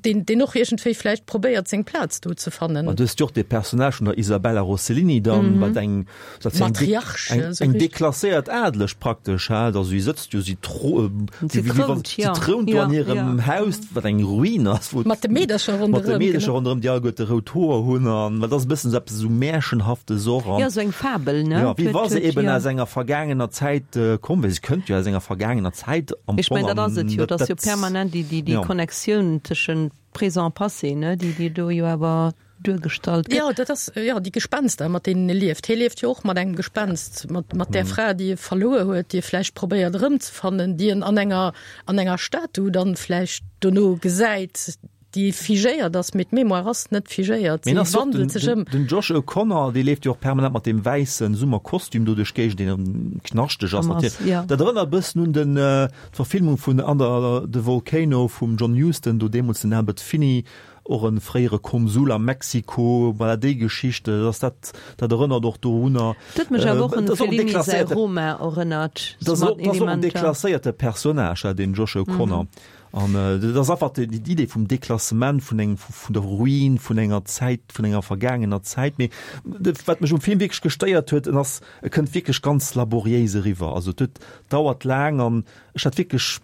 deen, deen och iergendwéi vläicht probéiert, seng Plaz do ze fannen. Ma du hues jo och dee Personnage vun der Isabella Rossellini dann, wat eng, wat eng, Matriarch, eng, eng deklasséiert Adeleg praktesch, ha, also si sëtzt jo, si tro, si trount, si trount do an hirem Haus, wat eng Ruin ass, wou, mat de Meedercher ronderëm, mat de Meedercher ronderëm, déi alleguerte rout Hoer hunn an dat ass e bëssen esou eppes esou Märchenhaftes och an. Jo, esou eng Fabel, ne? Jo, wéi wa se eben aus enger vergaangener Zäit komm wär. Si kënnt jo aus enger vergaangener Zäit am Fong. Ech mengen, dat ass et jo, dat ass jo permanent déi, déi, déi Connectioun tëschent Présent a Passé, ne, déi, déi do jo awer duergestallt gëtt. Jo, dat ass, jo, déi Gespenster, mat deenen e lieft. Hie lieft jo och mat engem Gespenst, mat, mat där Fra, déi e verluer huet, déi e vläicht probéiert erëmzefannen, déi en an enger, an enger Statu dann vläicht dono gesäit, déi figéiert ass, mee d'Mémoire ass net figéiert, si wandelt sech ëm. Den Josh O'Connor, dee leeft jo och permanent mat deem wäisse Summerkostüm do duerch d'Géigend, deen knaschteg ass natierlech. Dat erënnert e bëssen un den, d'Verfilmung vun Under the Volcano vum John Huston, do deemools den Albert Finney, och e fréiere Konsul a Mexiko, voilà, déi Geschicht, dat ass dat, dat erënnert och dorunner. Dat huet mech awer och un Fellini säi Roma erënnert, Dat ass och en deklasséierte Personnage, deen Josh O'Connor. An dat ass einfach déi Idee vum Deklassement, vun engem, vun der Ruin, vun enger Zäit, vun enger vergaangener Zäit. Mee wat mech um Film wierklech gestéiert huet, en ass, e kënnt wierklech ganz laboriéis eriwwer. Also et huet, dauert laang an ech hat wierklech,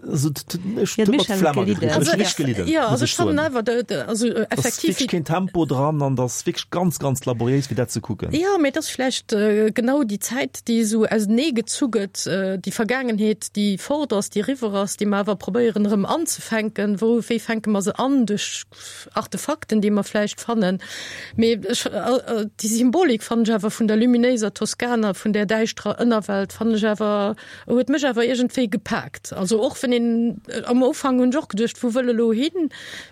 also ech huet mer d'Flemm agekritt. Ech hunn wierklech gelidden, muss ech soen. Also effektiv. Ass wierklech keen Tempo dran an et ass wierklech ganz, ganz laboriéis fir dat ze kucken. Jo, mee et ass vläicht genau déi Zäit, déi esou ausenee gezu gëtt, déi Vergaangenheet, déi fort ass, déi eriwwer ass, déi mer awer probéieren erëm anzefänken. Wou, wéi fänke mer se an? Duerch Artefakten, déi mer vläicht fannen. Mee ech, déi Symbolik fannen ech awer vun der luminéiser Toskana, vun där däischterer Ënnerwelt, fannen ech awer, huet mech awer iergendwéi gepaakt. Also och wenn een, am Ufank hunn ech och geduecht, wou wëll e lo hin?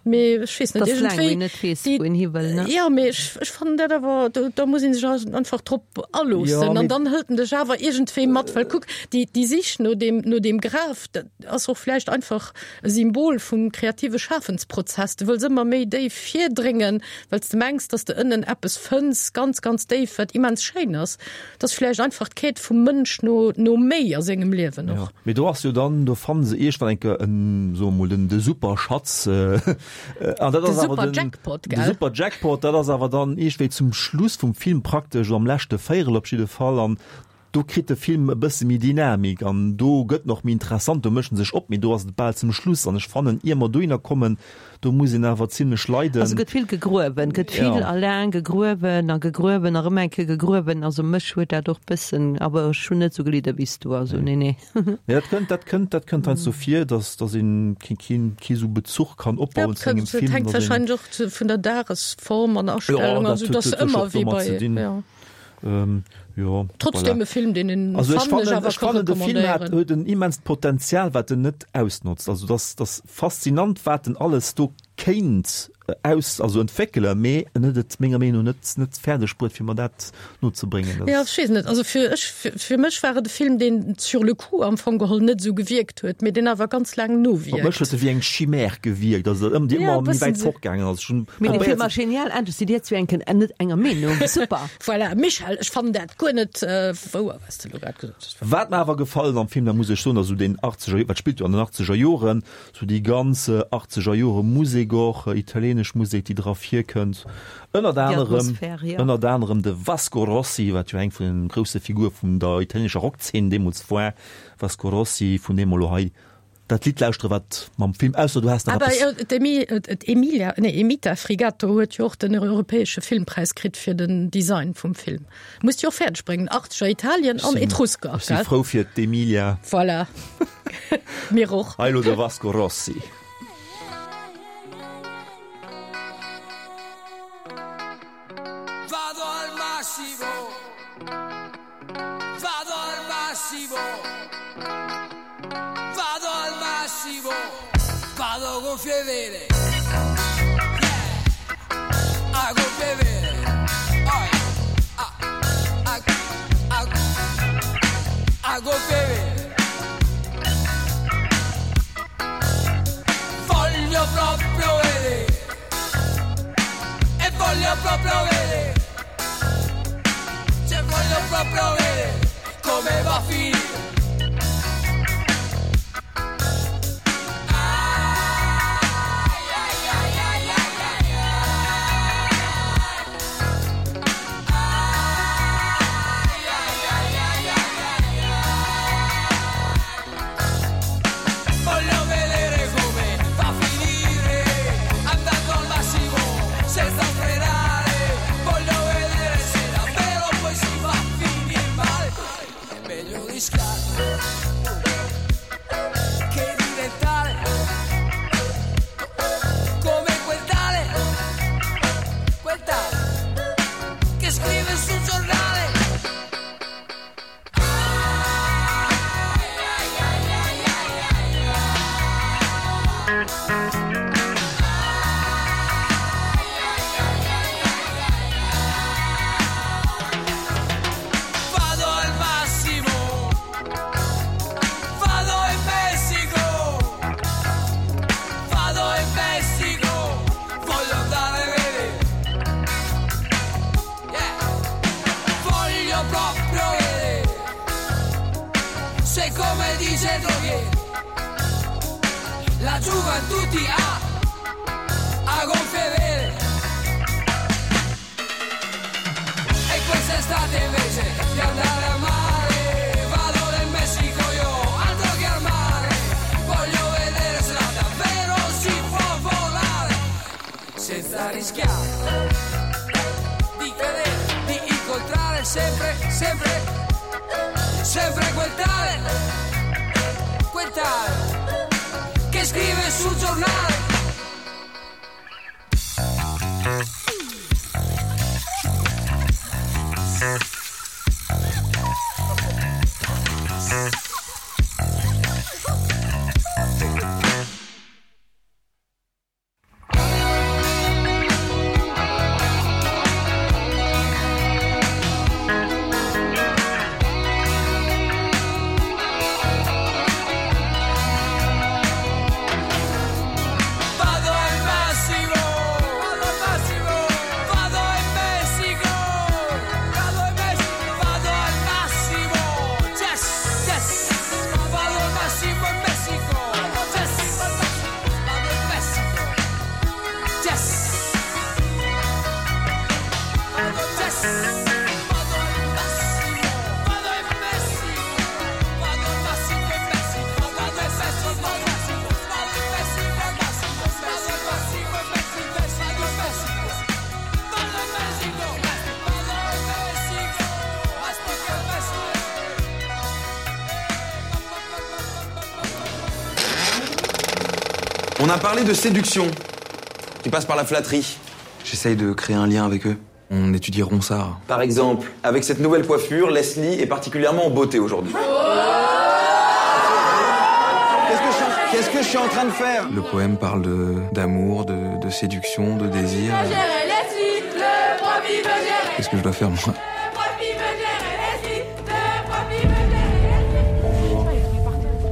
Mee ech weess net, iergendwéi, déi, jo, mee ech, ech fannen dat awer, do, do muss ee sech einfach drop aloossen an dann hëlt en dech awer iergendwéi mat, well kuck, déi, déi Sich no deem, no deem Graf, dat ass och vläicht einfach e Symbol vum kreative Schafensprozess. Du wëlls ëmmer méi déif virdréngen, well s de mengs, dass de ënnen eppes fënns, ganz, ganz déif, wat immens schéin ass. Dat ass vläicht einfach d'Quête vum Mënsch no, no méi a sengem Liewen och. Jo, mee do ass jo dann, do fanne se iergendwann eng Kéier en, soe mer mol, den, de Superschatz, an dat De ass awer den, Superjackpot, de gell? Superjackpot, dat ass awer dann iergendwéi zum Schluss vum Film praktesch, oder am leschte Véierel op jidde Fall, an. Do kritt de Film e bësse méi Dynamik an do gëtt en och méi interessant, do mécht en sech op, mee do ass et bal zum Schluss an ech fannen, ier mer dohinner kommen, do muss een awer zimlech leiden. Also gëtt vill gegruewen, gëtt vill a laang gegruewen a gegruewen a rëm eng Kéier gegruewen. Also mech huet dat och bëssen, awer ech hunn net esou gelidde wéi s du, also nee, nee. Nee, dat kënnt, dat kënnt, dat kënnt heiansdo vir, dass, dass een keen, keen, kee sou Bezuch kann opbauen zu engem Film. Dat hänkt wahrscheinlech och vun der Dagesform an Astellung, also dass ëmmer wéi bei, jo. Ähm, jo, Trotzdem voilà. e Film, deen een Also ech fannen ech fannen, awer ech ka fannen de Film hat, recommandéieren. huet en immenst Potenzial, wat en net ausnotzt. Also dass dass faszinant, wat en alles do kéint äh, aus, also entwéckelen, mee en huet et menger Meenung no net net fäerdeg bruet, fir mer dat nozebréngen. Dat Ja, ech weess net. Also fir ech, fir, fir mech war et e Film, deen sur le coup am Fong geholl net esou gewierkt huet, mee deen awer ganz laang Op mech nowierkt. huet e wéi eng Chimère gewierkt, also ëm déi Ja, ëmmer e méi bëssen wäit sou. fortgaangen ass. Ech hunn Mee de probéiert Film ass genial, endlech sidd dir zwee enken net enger Meenung. Super! Voilà, Michèle, ech fannen dat guer net wouer, wat s de elo grad gesot hues. Wat mer awer gefallen am Film, dat muss ech soen, ass esou deen achtzeger, wat spillt jo an den achtzeger Joren, esou déi ganz achtzeger Jore Musek och, italienesch Musek, déi dra virkënnt, ënnert Déi anerem, Atmosphär, jo. ënnert anerem de Vasco Rossi, wat jo eng vun den grousse Figure vun der italienescher Rockzeen deemools war, Vasco Rossi, vun deem mer elo hei Dat Lidd lauschtere wat mam Film, ausser du has nach Awer eppes. d'Emi, d'Emilia, nee Emita Frigato huet jo och den europäesche Filmpräis kritt fir den Design vum Film. Muss jo och fäerdeg bréngen, Achtzeger Italien an Etrusker, Ech si gell? frou fir d'Emilia. Voilà, mir och. Hei elo de Vasco Rossi. Vado al massimo Vado al massimo Vado al massimo Vado gonfie vele Yeah A gonfie vele Oi A A A A gonfie vele Voglio proprio vedere E voglio proprio vedere Se voglio proprio vedere come va a finire Voglio vedere come va a finire Andando al massimo senza frenare Voglio vedere se davvero poi si va a finire male È meglio rischiare che diventare come quel tale, quel tale che scrive sul giornale. Vado al massimo, vado in Messico, vado in Messico, voglio andare a vedere. Yeah. Voglio proprio vedere se come dice Droghieri la gioventù ti ha a gonfie vele. E quest'estate invece di andare a mare Vado nel Messico io, altro che al mare Voglio vedere se là davvero si può volare Senza rischiare di vedere, di incontrare sempre, sempre Sempre quel tale, quel tale Che scrive sul giornale On a parlé de séduction qui passe par la flatterie. J'essaye de créer un lien avec eux. On étudie Ronsard. Par exemple, avec cette nouvelle coiffure, Leslie est particulièrement en beauté aujourd'hui. Qu'est-ce que je suis en train de faire Le poème parle d'amour, de, de, de séduction, de désir. Qu'est-ce que je dois faire moi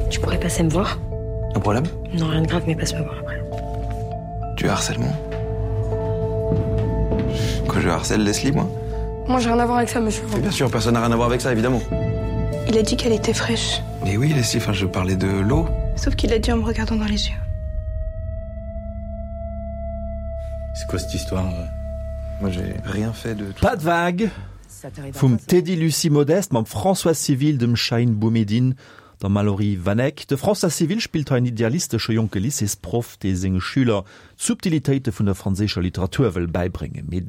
Tu pourrais passer me voir Un problème Non, rien de grave, mais passe me voir après. Tu harcèlement Quoi, je harcèle Leslie, moi Moi, j'ai rien à voir avec ça, monsieur. Mais bien sûr, personne n'a rien à voir avec ça, évidemment. Il a dit qu'elle était fraîche. Mais oui, Leslie, enfin, je parlais de l'eau. Sauf qu'il l'a dit en me regardant dans les yeux. C'est quoi cette histoire euh Moi, j'ai rien fait de tout. Pas de vague vum Teddy Lucie Modeste mam François Civil, dem Shaïn Boumedine, der Mallory Vanek. De François Civil spillt hei en idealistesche jonke Lycéesproff, dee senge Schüler d'Subtilitéite vun der franséischer Literatur wëll bäibréngen. Mee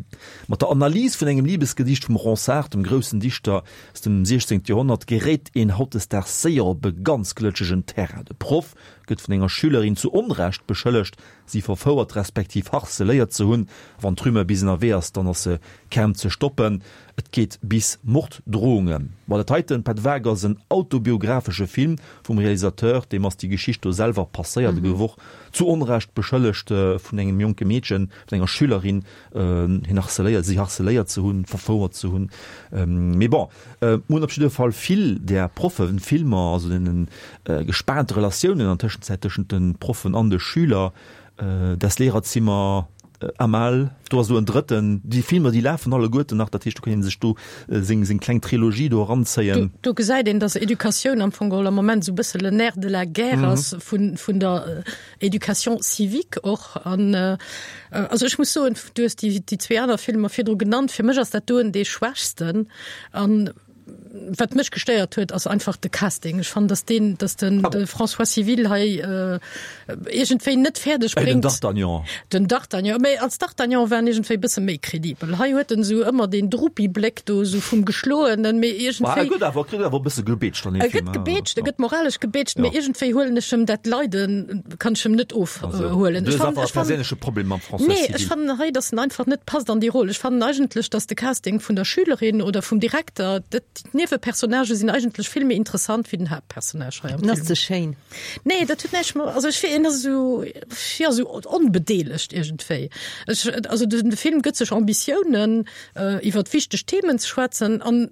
mat der Analys vun engem Libesgedicht vum Ronsard, dem groussen Dichter aus dem 16. Joerhonnert, geréit een hautdesdaags séier op e ganz glëtschegen Terrain. De Proff gëtt vun enger Schülerin zu Onrecht beschëllegt, si verfouert respektiv harceléiert ze hunn. Wann d'Rumeur bis ënnerwee ass, dann ass se kaum ze stoppen. Et geet bis Morddrohungen. Ma dat heiten, Pas de vague, ass en autobiographesche Film vum Realisateur, deem ass déi Geschicht do selwer passéiert. E gouf och zu Onrecht beschëllegt vun engem jonke Meedchen, vun enger Schülerin, hien harceléiert, si harceléiert ze hunn, verfouert ze hunn. Mee bon, mir hunn op jidde Fall vill där Proffefilmer, also deene gespaante Relatiounen an Tëschenzäit tëschent de Proffen an de Schüler, Das Lehrerzimmer, Amal, do ass elo en drëtten. Déi Filmer, déi lafen alleguerten nach, dat heescht, do kann ee sech do seng, seng kleng Trilogie do eranzéien. Do gesäit een, dass Educatioun am Fong geholl am Moment esou e bësse le nerf de la guerre ass vun, vun der Éducation civique och. An also ech muss soen, du hues déi, déi zwee aner Filmer virdru genannt, fir mech ass dat doen dee schwächsten. An wat mech gestéiert huet, ass einfach de Casting. Ech fannen, dass deen, dass den de François Civil hei äh, iergendwéi net fäerdeg Ey, den bréngt. D'Artagnan. Den D'Artagnan, mä als D'Artagnan war en iergendwéi e bësse méi kredibel. Hei huet en esou ëmmer deen Drupi-Bléck do, esou vum Geschloenen, mee Ma e iergendwéi. gëtt awer, kritt awer e bësse gebeetscht an deem E Film, gëtt hein. gebeetscht, e Ja. gëtt moralesch gebeetscht, Ja. mee iergendwéi huelen ech em dat Leiden, kann ech em net ofhuelen. Du hues einfach e perséinleche Problem mam François Nee, Civil. ech fannen hei, dass en einfach net passt an déi Roll. Ech fannen eigentlech, dass de Casting vun der Schülerin oder vum Direkter, dat, d'Niewepersonnagë sinn eigentlech vill méi interessant wéi den Haaptpersonnage hei am En ass Film. ze schéin. Nee, dat huet näischt mat, also ech fi-, en ass esou, jo, esou onbedeelegt iergendwéi. Ech, also de Film gëtt sech Ambitiounen, iwwert wichteg Themen ze schwätzen an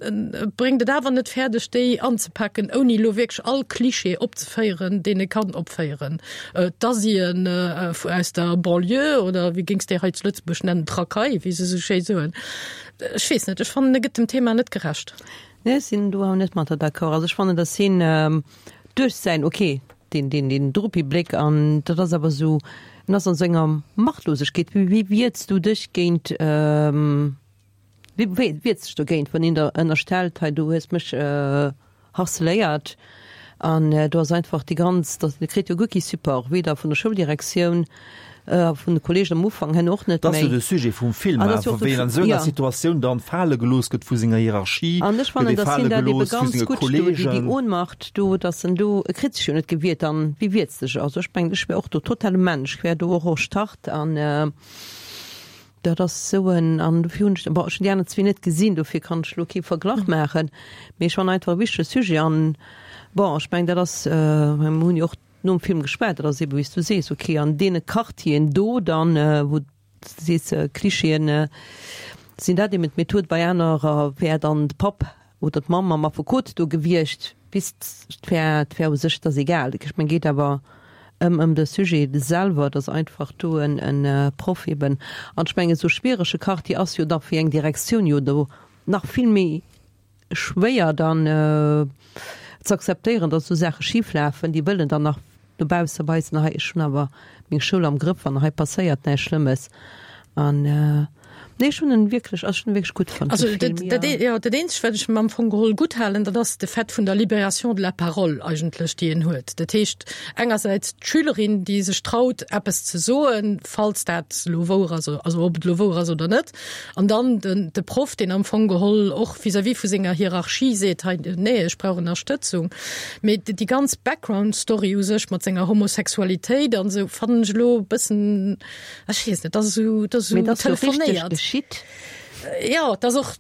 bréngt et awer net fäerdeg, déi anzepaken, ouni elo wierklech all Klischee opzeféieren, deen e kann opféieren. D'Asien aus der Banlieue oder wéi géings de hei zu Lëtzebuerg nennen, d'Racaille, wéi se esou schéi soen. Ech weess net, ech fannen, e gëtt dem Thema net gerecht. Nee, ech sinn do awer net mat der d'accord. Also ech fannen, datt hien duerch säin, okay, deen, deen, deen Drupi-Bléck an dat ass awer esou, en ass an esou enger Machtlosegkeet. Wéi, wéi wierts du dech géint, wéi wierts dech dogéint, wann een der ënnerstellt, hei du hues mech harceléiert an do ass einfach déi ganz, dat, e kritt jo guer kee Support, weder vun der Schouldirektioun, vun de Kolleegen am Ufank hen och net Dat ass jo méi. de Sujet vum Film, An dat ass jo och de wéi een an esou enger ja. Situatioun dann fale gelooss gëtt vu senger Hierarchie, An ech gëtt fannen, ee datt fale hien dat ebe gelooss vu ganz senge gutt do, déi, déi Kolleegen. Ohnmacht do, datt en do, e kritt sech jo net gewiert an wéi wiert sech? Also ech mengen, ech wär och do total e Mensch, ech wär do och och Start an dat ass esou en, an dofir hunn ech, bon, ech hunn déi aner zwee net gesinn, dofir kann ech elo kee Verglach maachen, mee ech fannen einfach e wichtege Sujet an, bon, ech mengen, dat ass, mir hunn jo och nom Film geschwat, dat ass eben wéi s du sees, ok an deene Quartieren do dann, wou s du sees Klischeeën sinn dat eben d'Method, bei anerer wär dann de Papp oder d'Mamm mam Affekot do gewiescht, bis et wär, et wär u sech, et ass egal. Ech mengen geet awer ëm ëm de Sujet selwer, dass einfach do en en Proff eben, an ech mengen esou schwierege Quartier ass jo da fir eng Direktioun jo do nach vill méi schwéier dann ze akzeptéieren, datt esou Saache schif lafen. Déi wëllen dann nach no bausse weisen, hei ech hunn awer meng Schoul am Grëff an hei passéiert näischt Schlëmmes. An Nee, ech hunn en wierklech, also ech hunn en wierklech gutt fonnt, Also de dat, Film, dat, jo. ja, dat eenzegt, wat ech em am Fong geholl gutt halen, dat ass de Fait vun der Libération de la parole eigentlech, déi en huet. Dat heescht engersäits d'Schülerin, déi sech traut, eppes ze soen, falls dat elo wouer ass, also ob et elo wouer ass oder net, an dann den, de Proff, deen am Fong geholl och vis-à-vis vu senger Hierarchie seet, hei, nee, ech brauch Ënnerstëtzung. Mee déi ganz Background-Story u sech mat senger Homosexualitéit an esou fannen ech elo e bëssen, Ech weess net, dat ass esou, dat ass Mee esou dat ass jo richteg telefonéiert. geschitt. Jo, dat ass och,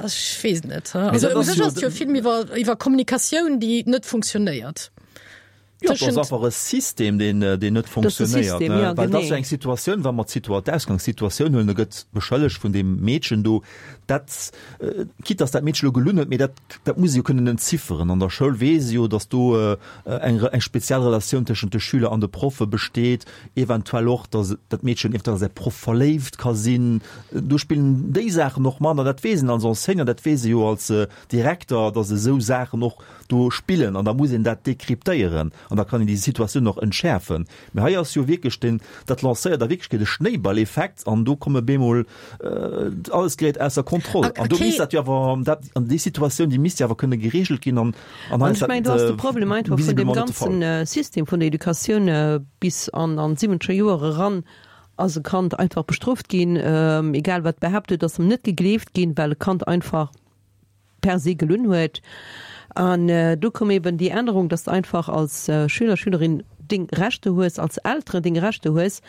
ech weess net. Mee Also dat u ass sech jo ass et jo e Film iwwer, iwwer Kommunikatioun, déi net funktionéiert. Jo, dat ass Tëschent. einfach e System, deen, deen net Dat ass de funktionéiert, System, ne? jo, Well dat ass jo genee. eng Situatioun, wa mer d'Situa-, d'Ausgangssituatioun huelen, da gëtt beschëllegt vun deem Meedchen do, dat, quitte dass dat Meedchen elo gelunn huet, mee dat, dat muss ee jo kënnen entzifferen. An der Schoul weess ee jo, dass do eng, eng speziell Relatioun tëschent de Schüler an de Proffe besteet. Eventuell och, datt dat Meedchen eventuell a säi Proff verléift ka sinn. Do spillen déi Saachen och mat an dat weess een als Enseignant, dat weess ee jo als Direkter, datt esou Saachen och do spillen an da muss een dat dekryptéieren an da kann een déi Situatioun och entschäerfen. Mee hei ass jo wierklech den, dat lancéiert a Wierklechkeet e Schnéiballeffekt an do komme bemol alles geréit ausser Kontroll an do misst dat jo awer, dat, an déi Situatioun, déi misst jo awer kënne geregelt ginn an An ech mengen, do ass de Problem einfach vun deem ganzen System vun der Educatioun bis an an d'siwwenzeger Joer eran ass e Kand einfach bestrooft ginn, egal wat behaapt huet, ass em net gegleeft ginn, well e Kand einfach per se gelunn huet. An do koum eben déi Ännerung, dass de einfach als Schüler, Schülerin deng Rechte hues, als Elteren deng Rechte hues.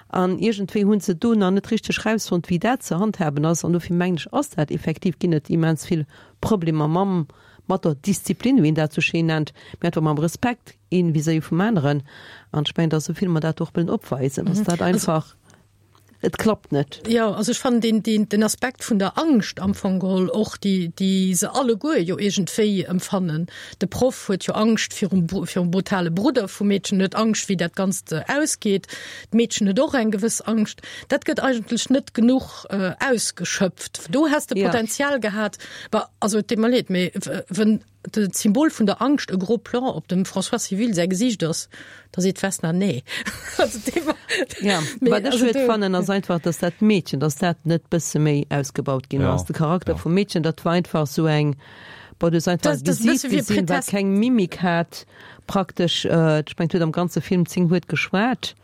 An iergendwéi hu se do nach net richteg rausfonnt, wéi dat ze handhaben ass. An dofir mengen ech, ass dat effektiv, ginn et immens vill Problemer mam mat der Disziplin, wéi een dat sou schéin nennt, mee einfach mam Respekt een vis-à-vis vum aneren. An ech mengen, dass esou vill mer dat och wëllen opweisen, dass dat einfach, et klappt net. Jo, also ech fannen deen, deen, den Aspekt vun der Angscht am Fong geholl och, déi, déi se alleguer jo iergendwéi empfannen. De Proff huet jo Angscht virum, virum brutale Brudder vum Meedchen, huet Angscht, wéi dat Ganzt ausgeet. D'Meedchen huet och eng gewëss Angscht. Dat gëtt eigentlech net genuch ausgeschöpft. Do häss de Potenzial gehat, Bah, also et deet mer leed, mee wenn de d'Symbol vun der Angscht e gros Plan op dem François Civil säi Gesiicht ass, da seet d'Vesna nee. Also dee war, Ja, mee wat ech also schued do. fannen ass einfach, dass dat Meedchen, dass dat net bësse méi ausgebaut ginn Ja, ass. De Charakter ja. vum Meedchen, dat war einfach esou eng, bon, du hues einfach Dat, e dat ass e Gesiit bësse wéi e gesinn, wat Pretest. keng Mimik hat praktesch. Ech mengen, et huet am ganze Film 10 Wuert geschwat.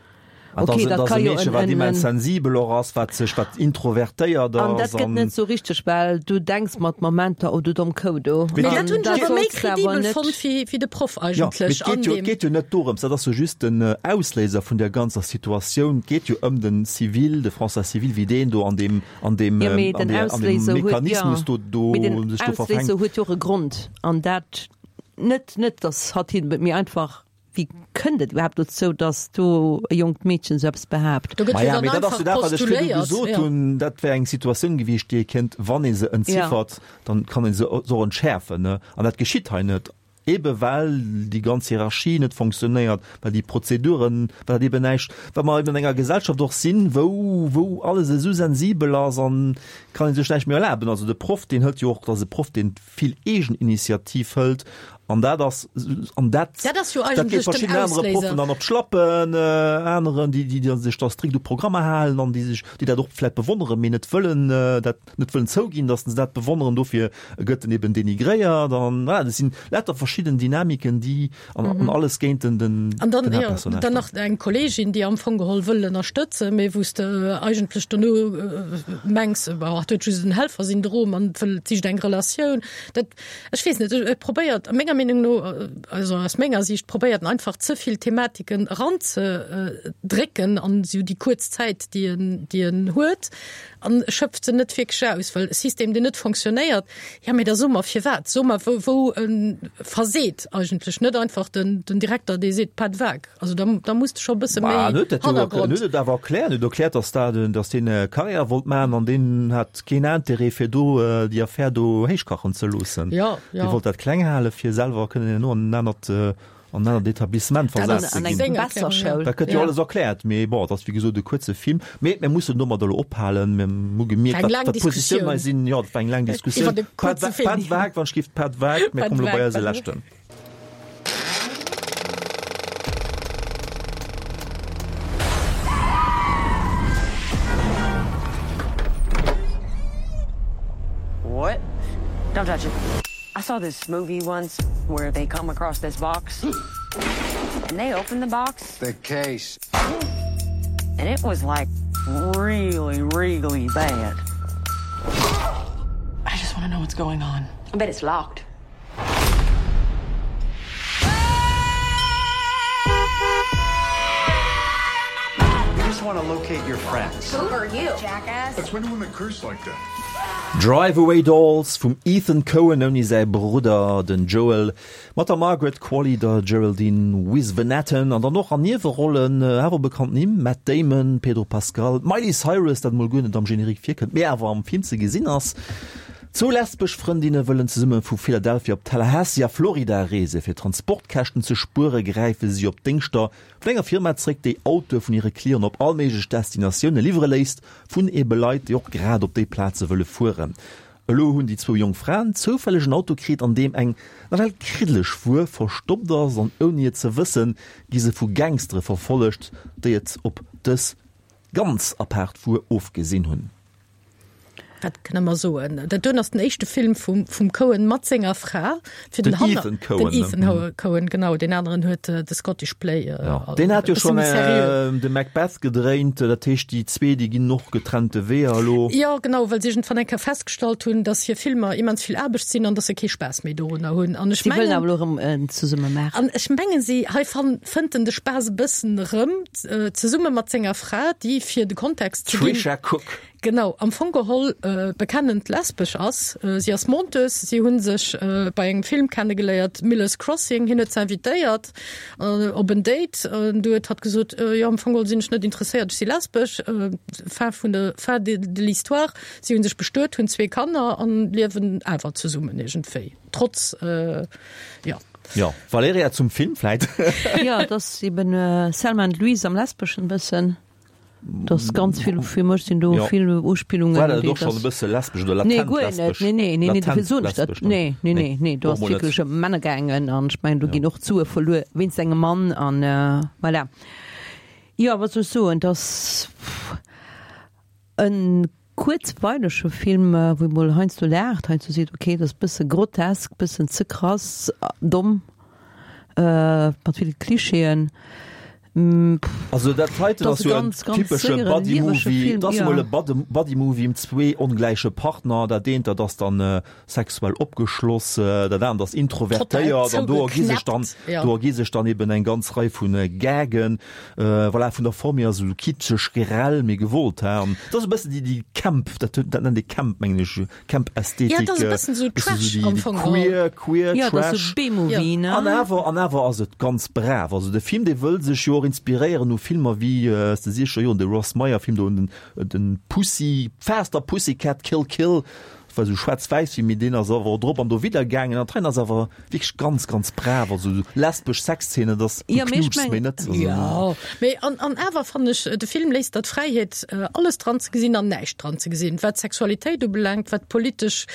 An Okay, dass dat e ka jo Meedchen, en, wat en, immens en sensibel och ass, wat sech, wat introvertéiert An ass dat gëtt an. net sou richteg, well du denks mat Momenter, oh du domm Kou do. Mee Mee et dat hunn ech dat awer méi solls de awer kredibel net. fonnt wéi, wéi de Proff Jo, mee eigentlech et geet an jo, et deem. geet jo net dorëms, dat ass jo just den Ausléiser vun där ganzer Situatioun. Et geet jo ëm den Civil, de François Civil, wéi deen do an deem, an deem, Jo, mee an den där, an deem Ausléiser huet, jo, Mechanismus do, do mee den sech do Ausléiser verfänkt. huet jo och e Grond an dat net, net dass hatt hien, mee einfach Wéi kënnt et iwwerhaapt dozou, datt do e jonkt Meedchen esou eppes behaapt? Do gëtt jo Maja, dann mee dat ass einfach jo dat, wat ech virdu postuléiert, gesot ja. hunn. Dat wär eng Situatioun gewiescht, déi ee kéint, wann ee se entziffert, dann kann ee se och entschäerfen, ne? An dat geschitt hei net, ebe well déi ganz Hierarchie net fonctionnéiert, well déi Prozeduren, well dat eben näischt, well mer eben an enger Gesellschaft och sinn, wou, wou alles esou sensibel ass an kann ee sech näischt méi erlaben. Also de Proff, deen hëlt jo och, dat ass e Proff, deen vill Eegeninitiativ hëlt an dat ass an dat Dat ass jo dat geet eigentlech den verschidden anere Ausléiser. Proffen dann op d'Schlappen, aneren déi déi déi sech da strikt u Programmer halen an déi sech déi dat och vläit bewonneren, mee net wëllen dat net wëllen zouginn, datt se dat bewonneren, dofir gëtt en eben denigréiert an voilà, dat sinn lauter verschidden Dynamiken déi an an alles géint den den An dann, den jo, Haaptpersonnage dann nach eng Kolleegin, déi am Fong geholl wëll ënnerstëtzen, mee wou s de eigentlech dono mengs, bah, hatt huet just en Helfersyndrom an wëll, sicht eng Relatioun. Dat, ech weess net, e probéiert menger Meenung no, also aus menger Sicht, probéiert en einfach ze vill Thematiken eranzedrécken an esou déi kuerz Zäit, déi en, déi en huet, an schöpft se net wierklech aus, well e System, deen net fonctionnéiert, ja, mee da so mer firwat, so mer wou, wou e verseet eigentlech, net einfach den, den Direkter, dee seet, pas de vague. Also da, da muss de scho e bësse Ma méi en huet dat jo en Hannergrond. huet et awer erkläert, en huet erkläert, datt dat, datt deen Carrière wollt maachen an deen hat keen Interêt fir do déi Affär do héichkachen ze loossen. Ja, Dee ja. wollt dat kleng hale fir selwer kënnen herno an en anert, an en anert Etablissement Dat versat ass ze An ginn. eng seng besser Erklärung, ja. Schoul. Dat gëtt jo Ja. alles erkläert, mee bon, et ass wéi gesot e kuerze Film. Mee mir mussen domat elo ophalen. Mir hu gemierkt, War eng wat, laang wat d'Positioun hei Diskussioun. sinn. Jo, dat war eng laang Diskussioun. Iwwer de Pas kuerze de, pas de Film. vague, wann ech géif, pas de vague. Mir Pas kommen de elo bei vague, eise pas de leschten. Don't touch it. I saw this movie once where they come across this box and they open the box. The case. And it was like really, really bad. I just want to know what's going on. I bet it's locked. We just want to locate your friends. Who are you, jackass? That's when women curse like that. Drive Away Dolls vum Ethan Coen ouni säi Brudder, den Joel, mat der Margaret Qualley, der Geraldine Viswanathan an dann och an Niewerollen awer bekannt Nimm, Matt Damon, Pedro Pascal, d'Miley Cyrus, dat mol guer net am Générique virkënnt, mee awer am Film ze gesinn ass. Zwou lesbesch Frëndinne wëllen zesumme vu Philadelphia op Tallahassee a Florida reesen. Fir Transportkäschten ze spuere gräife si op Déngschter vun enger Firma zréck, déi Autoe vun hire Clienten op all méiglech Destinatioune liwwere léisst, vun ebe Leit, déi och grad op déi Plaze wëlle fueren. Elo hunn déi zwou jonk Fraen zoufälleg en Auto kritt, an deem eng nawell kriddeleg Wuer verstoppt ass, an ouni et ze wëssen, gi se vu Gangstere verfollegt, déi et op dës ganz apaart Wuer ofgesinn hunn. Wat kënne mer soen? Dat doen ass den éischte Film vum, vum Coen mat senger Fra. Fir den, den Ethan Coen. Den Ethan mhm. Coen, genau. Den aneren huet äh, de Scottish Play. Äh, ja. Den hat jo schon äh, de Macbeth gedréint, dat heescht déi zwee, déi ginn och getrennte Weeër elo. Ja, genau, well si iergendwann eng Kéier festgestallt hunn, dass hir Filmer immens vill Aarbecht sinn an dass se kee Spaass méi dorunner hunn. An ech mengen, awer elo erëm äh, zesumme maachen. An ech mengen, si hei fan, fënnt en de Spaass e bëssen erëm, äh, zesumme mat senger Fra, déi fir de Kontext ze ginn. Tricia Cooke. Genau, am Fong geholl bekennend lesbesch ass. Si ass Monteuse. Si hu sech bei engem Film kennegeléiert, Miller's Crossing. Hien huet se invitéiert op en Date. Du huet hatt gesot, Jo, am Fong geholl sinn ech net interesséiert, ech si lesbesch. Fin vun der, fin de l'histoire, si hu sech bestuet, hunn zwee Kanner an liewen awer zesummen iergendwéi, trotz, jo. Jo, Valerija, zum Film vläit? Jo, et ass eben Selma and Louise am Lesbeschen e bëssen. Das ganz vill fir mech sinn do ja. vill Uspillungen. War dat och schon e bësse lesbesch oder latent nee, guer lesbesch? Nee, nee, nee, nee, dofir soen ech dat. Nee, nee, nee, nee, do ass wierklech ëm Männer gaangen an ech mengen do ginn och d'Sue verluer wéinst engem Mann an äh, voilà. Jo, wat soll ech soen, dass en kuerzweilege Film, wou ee mol heiansdo laacht, heiansdo seet, okay, dat ass e bësse grotesk, bëssen ze krass, domm, mat ville Klischeeën. Also dat heiten ass jo en typesche Buddy-Movie, dat ass emol e Buddy-Movie ëm zwee ongläiche Partner, dat eent dat ass dann sexuell opgeschloss, dat anert ass introvertéiert an do ergi sech dann, do ergi sech dann eben eng ganz Rei vu Gagen. Voilà, vun der Form hier ass esou kitscheg, grell, mee gewollt, he. An dat ass e bëssen déi, déi Camp, dat dat nennt ee Camp, mengen ech, Camp-Ästhetik. Ja, dat ass e bëssen esou Trash am Fong geholl. Queer, queer, Ja, dat ass esou B-Movie, ne? An awer, an awer ass et ganz brav. Also de Film, dee wëll sech jo och inspiréieren u Filmer wéi aus de siechzeger Joren, de Ross Meyer-Film do, den, den Pussy, Faster Pussycat Kill Kill, war sou schwaarz-wäiss wéi, mee deen ass awer drop an dowidder gaangen an d'Rein ass awer wierklech ganz, ganz brav, also sou lesbesch Sexszenen, dass du Ja, mee ech knuutschs méi mengen. net, also. Jo, mee an, an awer fannen ech, de Film léisst der d'Fräiheet, alles dran ze gesinn an näischt dran ze gesinn, wat d'Sexualitéit ubelaangt, wat d'politesch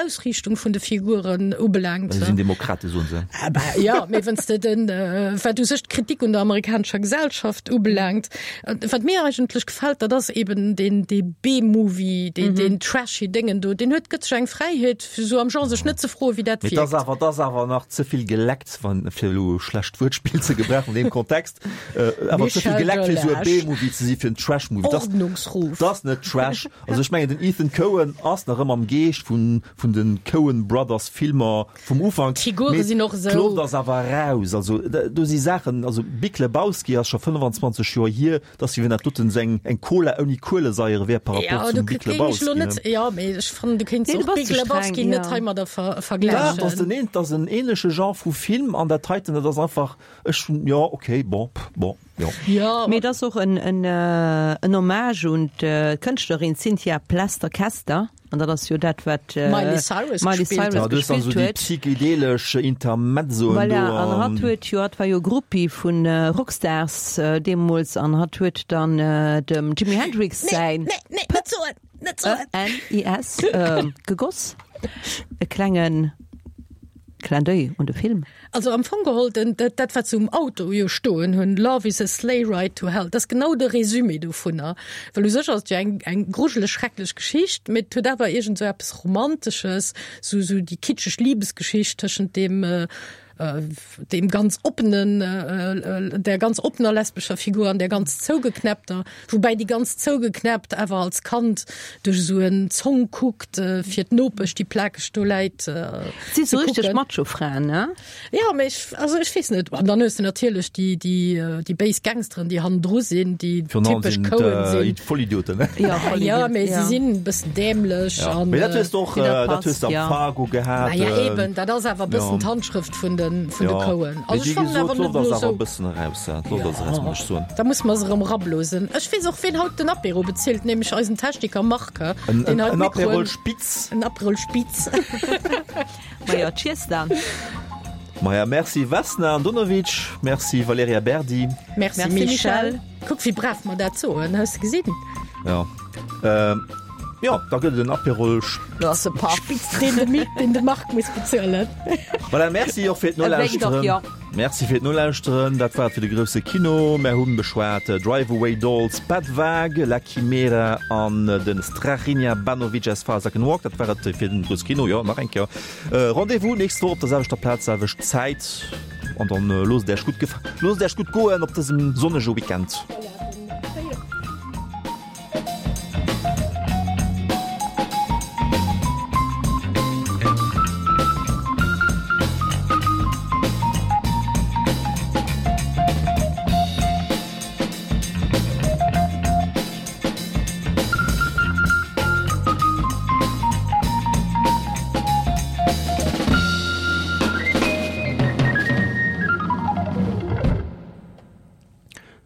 Ausriichtung vun de Figuren ubelaangt. Si sinn Demokrate, soen se. Ah bah, jo, mee wann s de den, wat u sech d'Kritik un der amerikanescher Gesellschaft ubelaangt, Wat mir eigentlech gefält, dat ass eben deen dee B-Movie, deen deen trashy Déngen do, deen huet gëtt sech eng Fräiheet fir sou am Genre sech net ze froen, wéi dat Mee 't ass wierkt. awer, 't ass awer nach ze vill geleckt, wann, fir elo e schlecht Wuertspill ze gebrauchen an deem Kontext, awer ze vill Michel geleckt fir esou e Delage. B-Movie ze si fir en Trash-Movie. 't ass, Ordnungsruf. 't ass net Trash. Also ech mengen den Ethan Coen ass nach ëmmer am Geescht vun vun de Coen Brothers Filmer vum Ufank. D'Figure sinn och esou. D'Loft ass awer eraus. Also do si Saachen, also Big Lebowski ass scho 25 Joer hier, et ass wéi wann dat doten esou eng eng Cola ouni Kuelesaiere wär par Ja, rapport do zum Big géing ech elo Lebowski, net, ne? jo, mee ech fannen, du kéints Nee, du och bass Big ze streng, Lebowski net ja. heimadder ver Dach, dat vergläichen. ass den een, dat ass en ähnleche Genre vu Film an dat heiten, dat ass einfach, ech hunn, jo, okay, bon, bon, jo. Jo, Mee et ass och en en en Hommage un d'Kënschtlerin Cynthia Plester-Kester. An dat ass jo dat, wat Miley Cyrus Miley gespillt Cyrus Ja, du hues dann gespillt esou déi huet. psychedelesch Intermezzoen do Voilà, an an. hatt huet jo, hatt war jo Groupie vu Rockstars deemools an hatt huet dann dem Jimi Hendrix Nee, säin nee, nee, net soen, net soen! P-E-N-I-S gegoss, e klengen. Clin d'oeil un de Film. Also am Fong geholl, den, dat, dat wat se um Auto jo stoen hunn, Love is a sleigh ride to hell, dat ass genau de Résumé dovunner. Well u sech ass et jo eng, eng grujeleg schrecklech Geschicht, mee et huet awer iergend esou eppes Romantesches, sou, sou déi kitscheg Liebesgeschicht tëschent deem, deem ganz oppenen, der ganz oppener lesbescher Figur an der ganz zougeknäppter, woubäi déi ganz zougeknäppt awer als Kand duerch esou en Zong kuckt, fir d'Nopesch, déi plakeg do läit, Si sou richteg Macho-Fraen, ne? Jo, mee ech, also ech weess net. An dann hues de natierlech déi, déi, déi béis Gangsteren, déi hannendru sinn, déi typesch Coen sinn. Vollidioten, ne? Ja, ja, mee si sinn e bëssen dämlech Ja. an. Mee dat hues de och, dat dat hues de am ja. Fargo gehat. Naja, eben, dat ass awer e bëssen d'Handschrëft vun de, vun de Ja. Coen. Mee Also wéi ech fannen gesot, awer net d'Loft ass elo awer e esou. bëssen eraus, d'Loft ass eraus, muss ech soen. Da musse mer se erëm erablosen. Ech weess och, wien haut den Apéro bezilt, nämlech eisen Techniker Marc, En, deen en, haut en Aperol d'Mikroen. Spitz. En Aperol Spitz. Maja, cheers dann. Maja, merci Vesna Andonovic, merci Valerija Berdi. Merci, Merci, Michel. Michel. Kuck wéi brav mer dat soen, hues de gesinn? Ja. Ähm, ja, da gëtt et en Aperol Spitz. Do ass e Paff. Spitz, deen de Mi, deen de Marc muss bezuelen. Voilà, merci och fir E wénkt och, d'Nolauschteren. jo. Merci fir d'Nolauschteren. Dat war et fir de grousse Kino. Mär hunn beschwat Drive Away Dolls, Bad Vague, La Chimera an den Strahinja Banovic As Far As I Can Walk. Dat war et fir den grousse Kino. Jo, nach eng Kéier Rendez-vous nächst Woch op der selwechter Plaz, selwecht Zäit. An dann loosst et Äech gutt gef loosst et Äech gutt goen op dësem sonnege Weekend.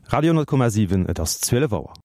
Radio 10,7 Et ass 12 Auer.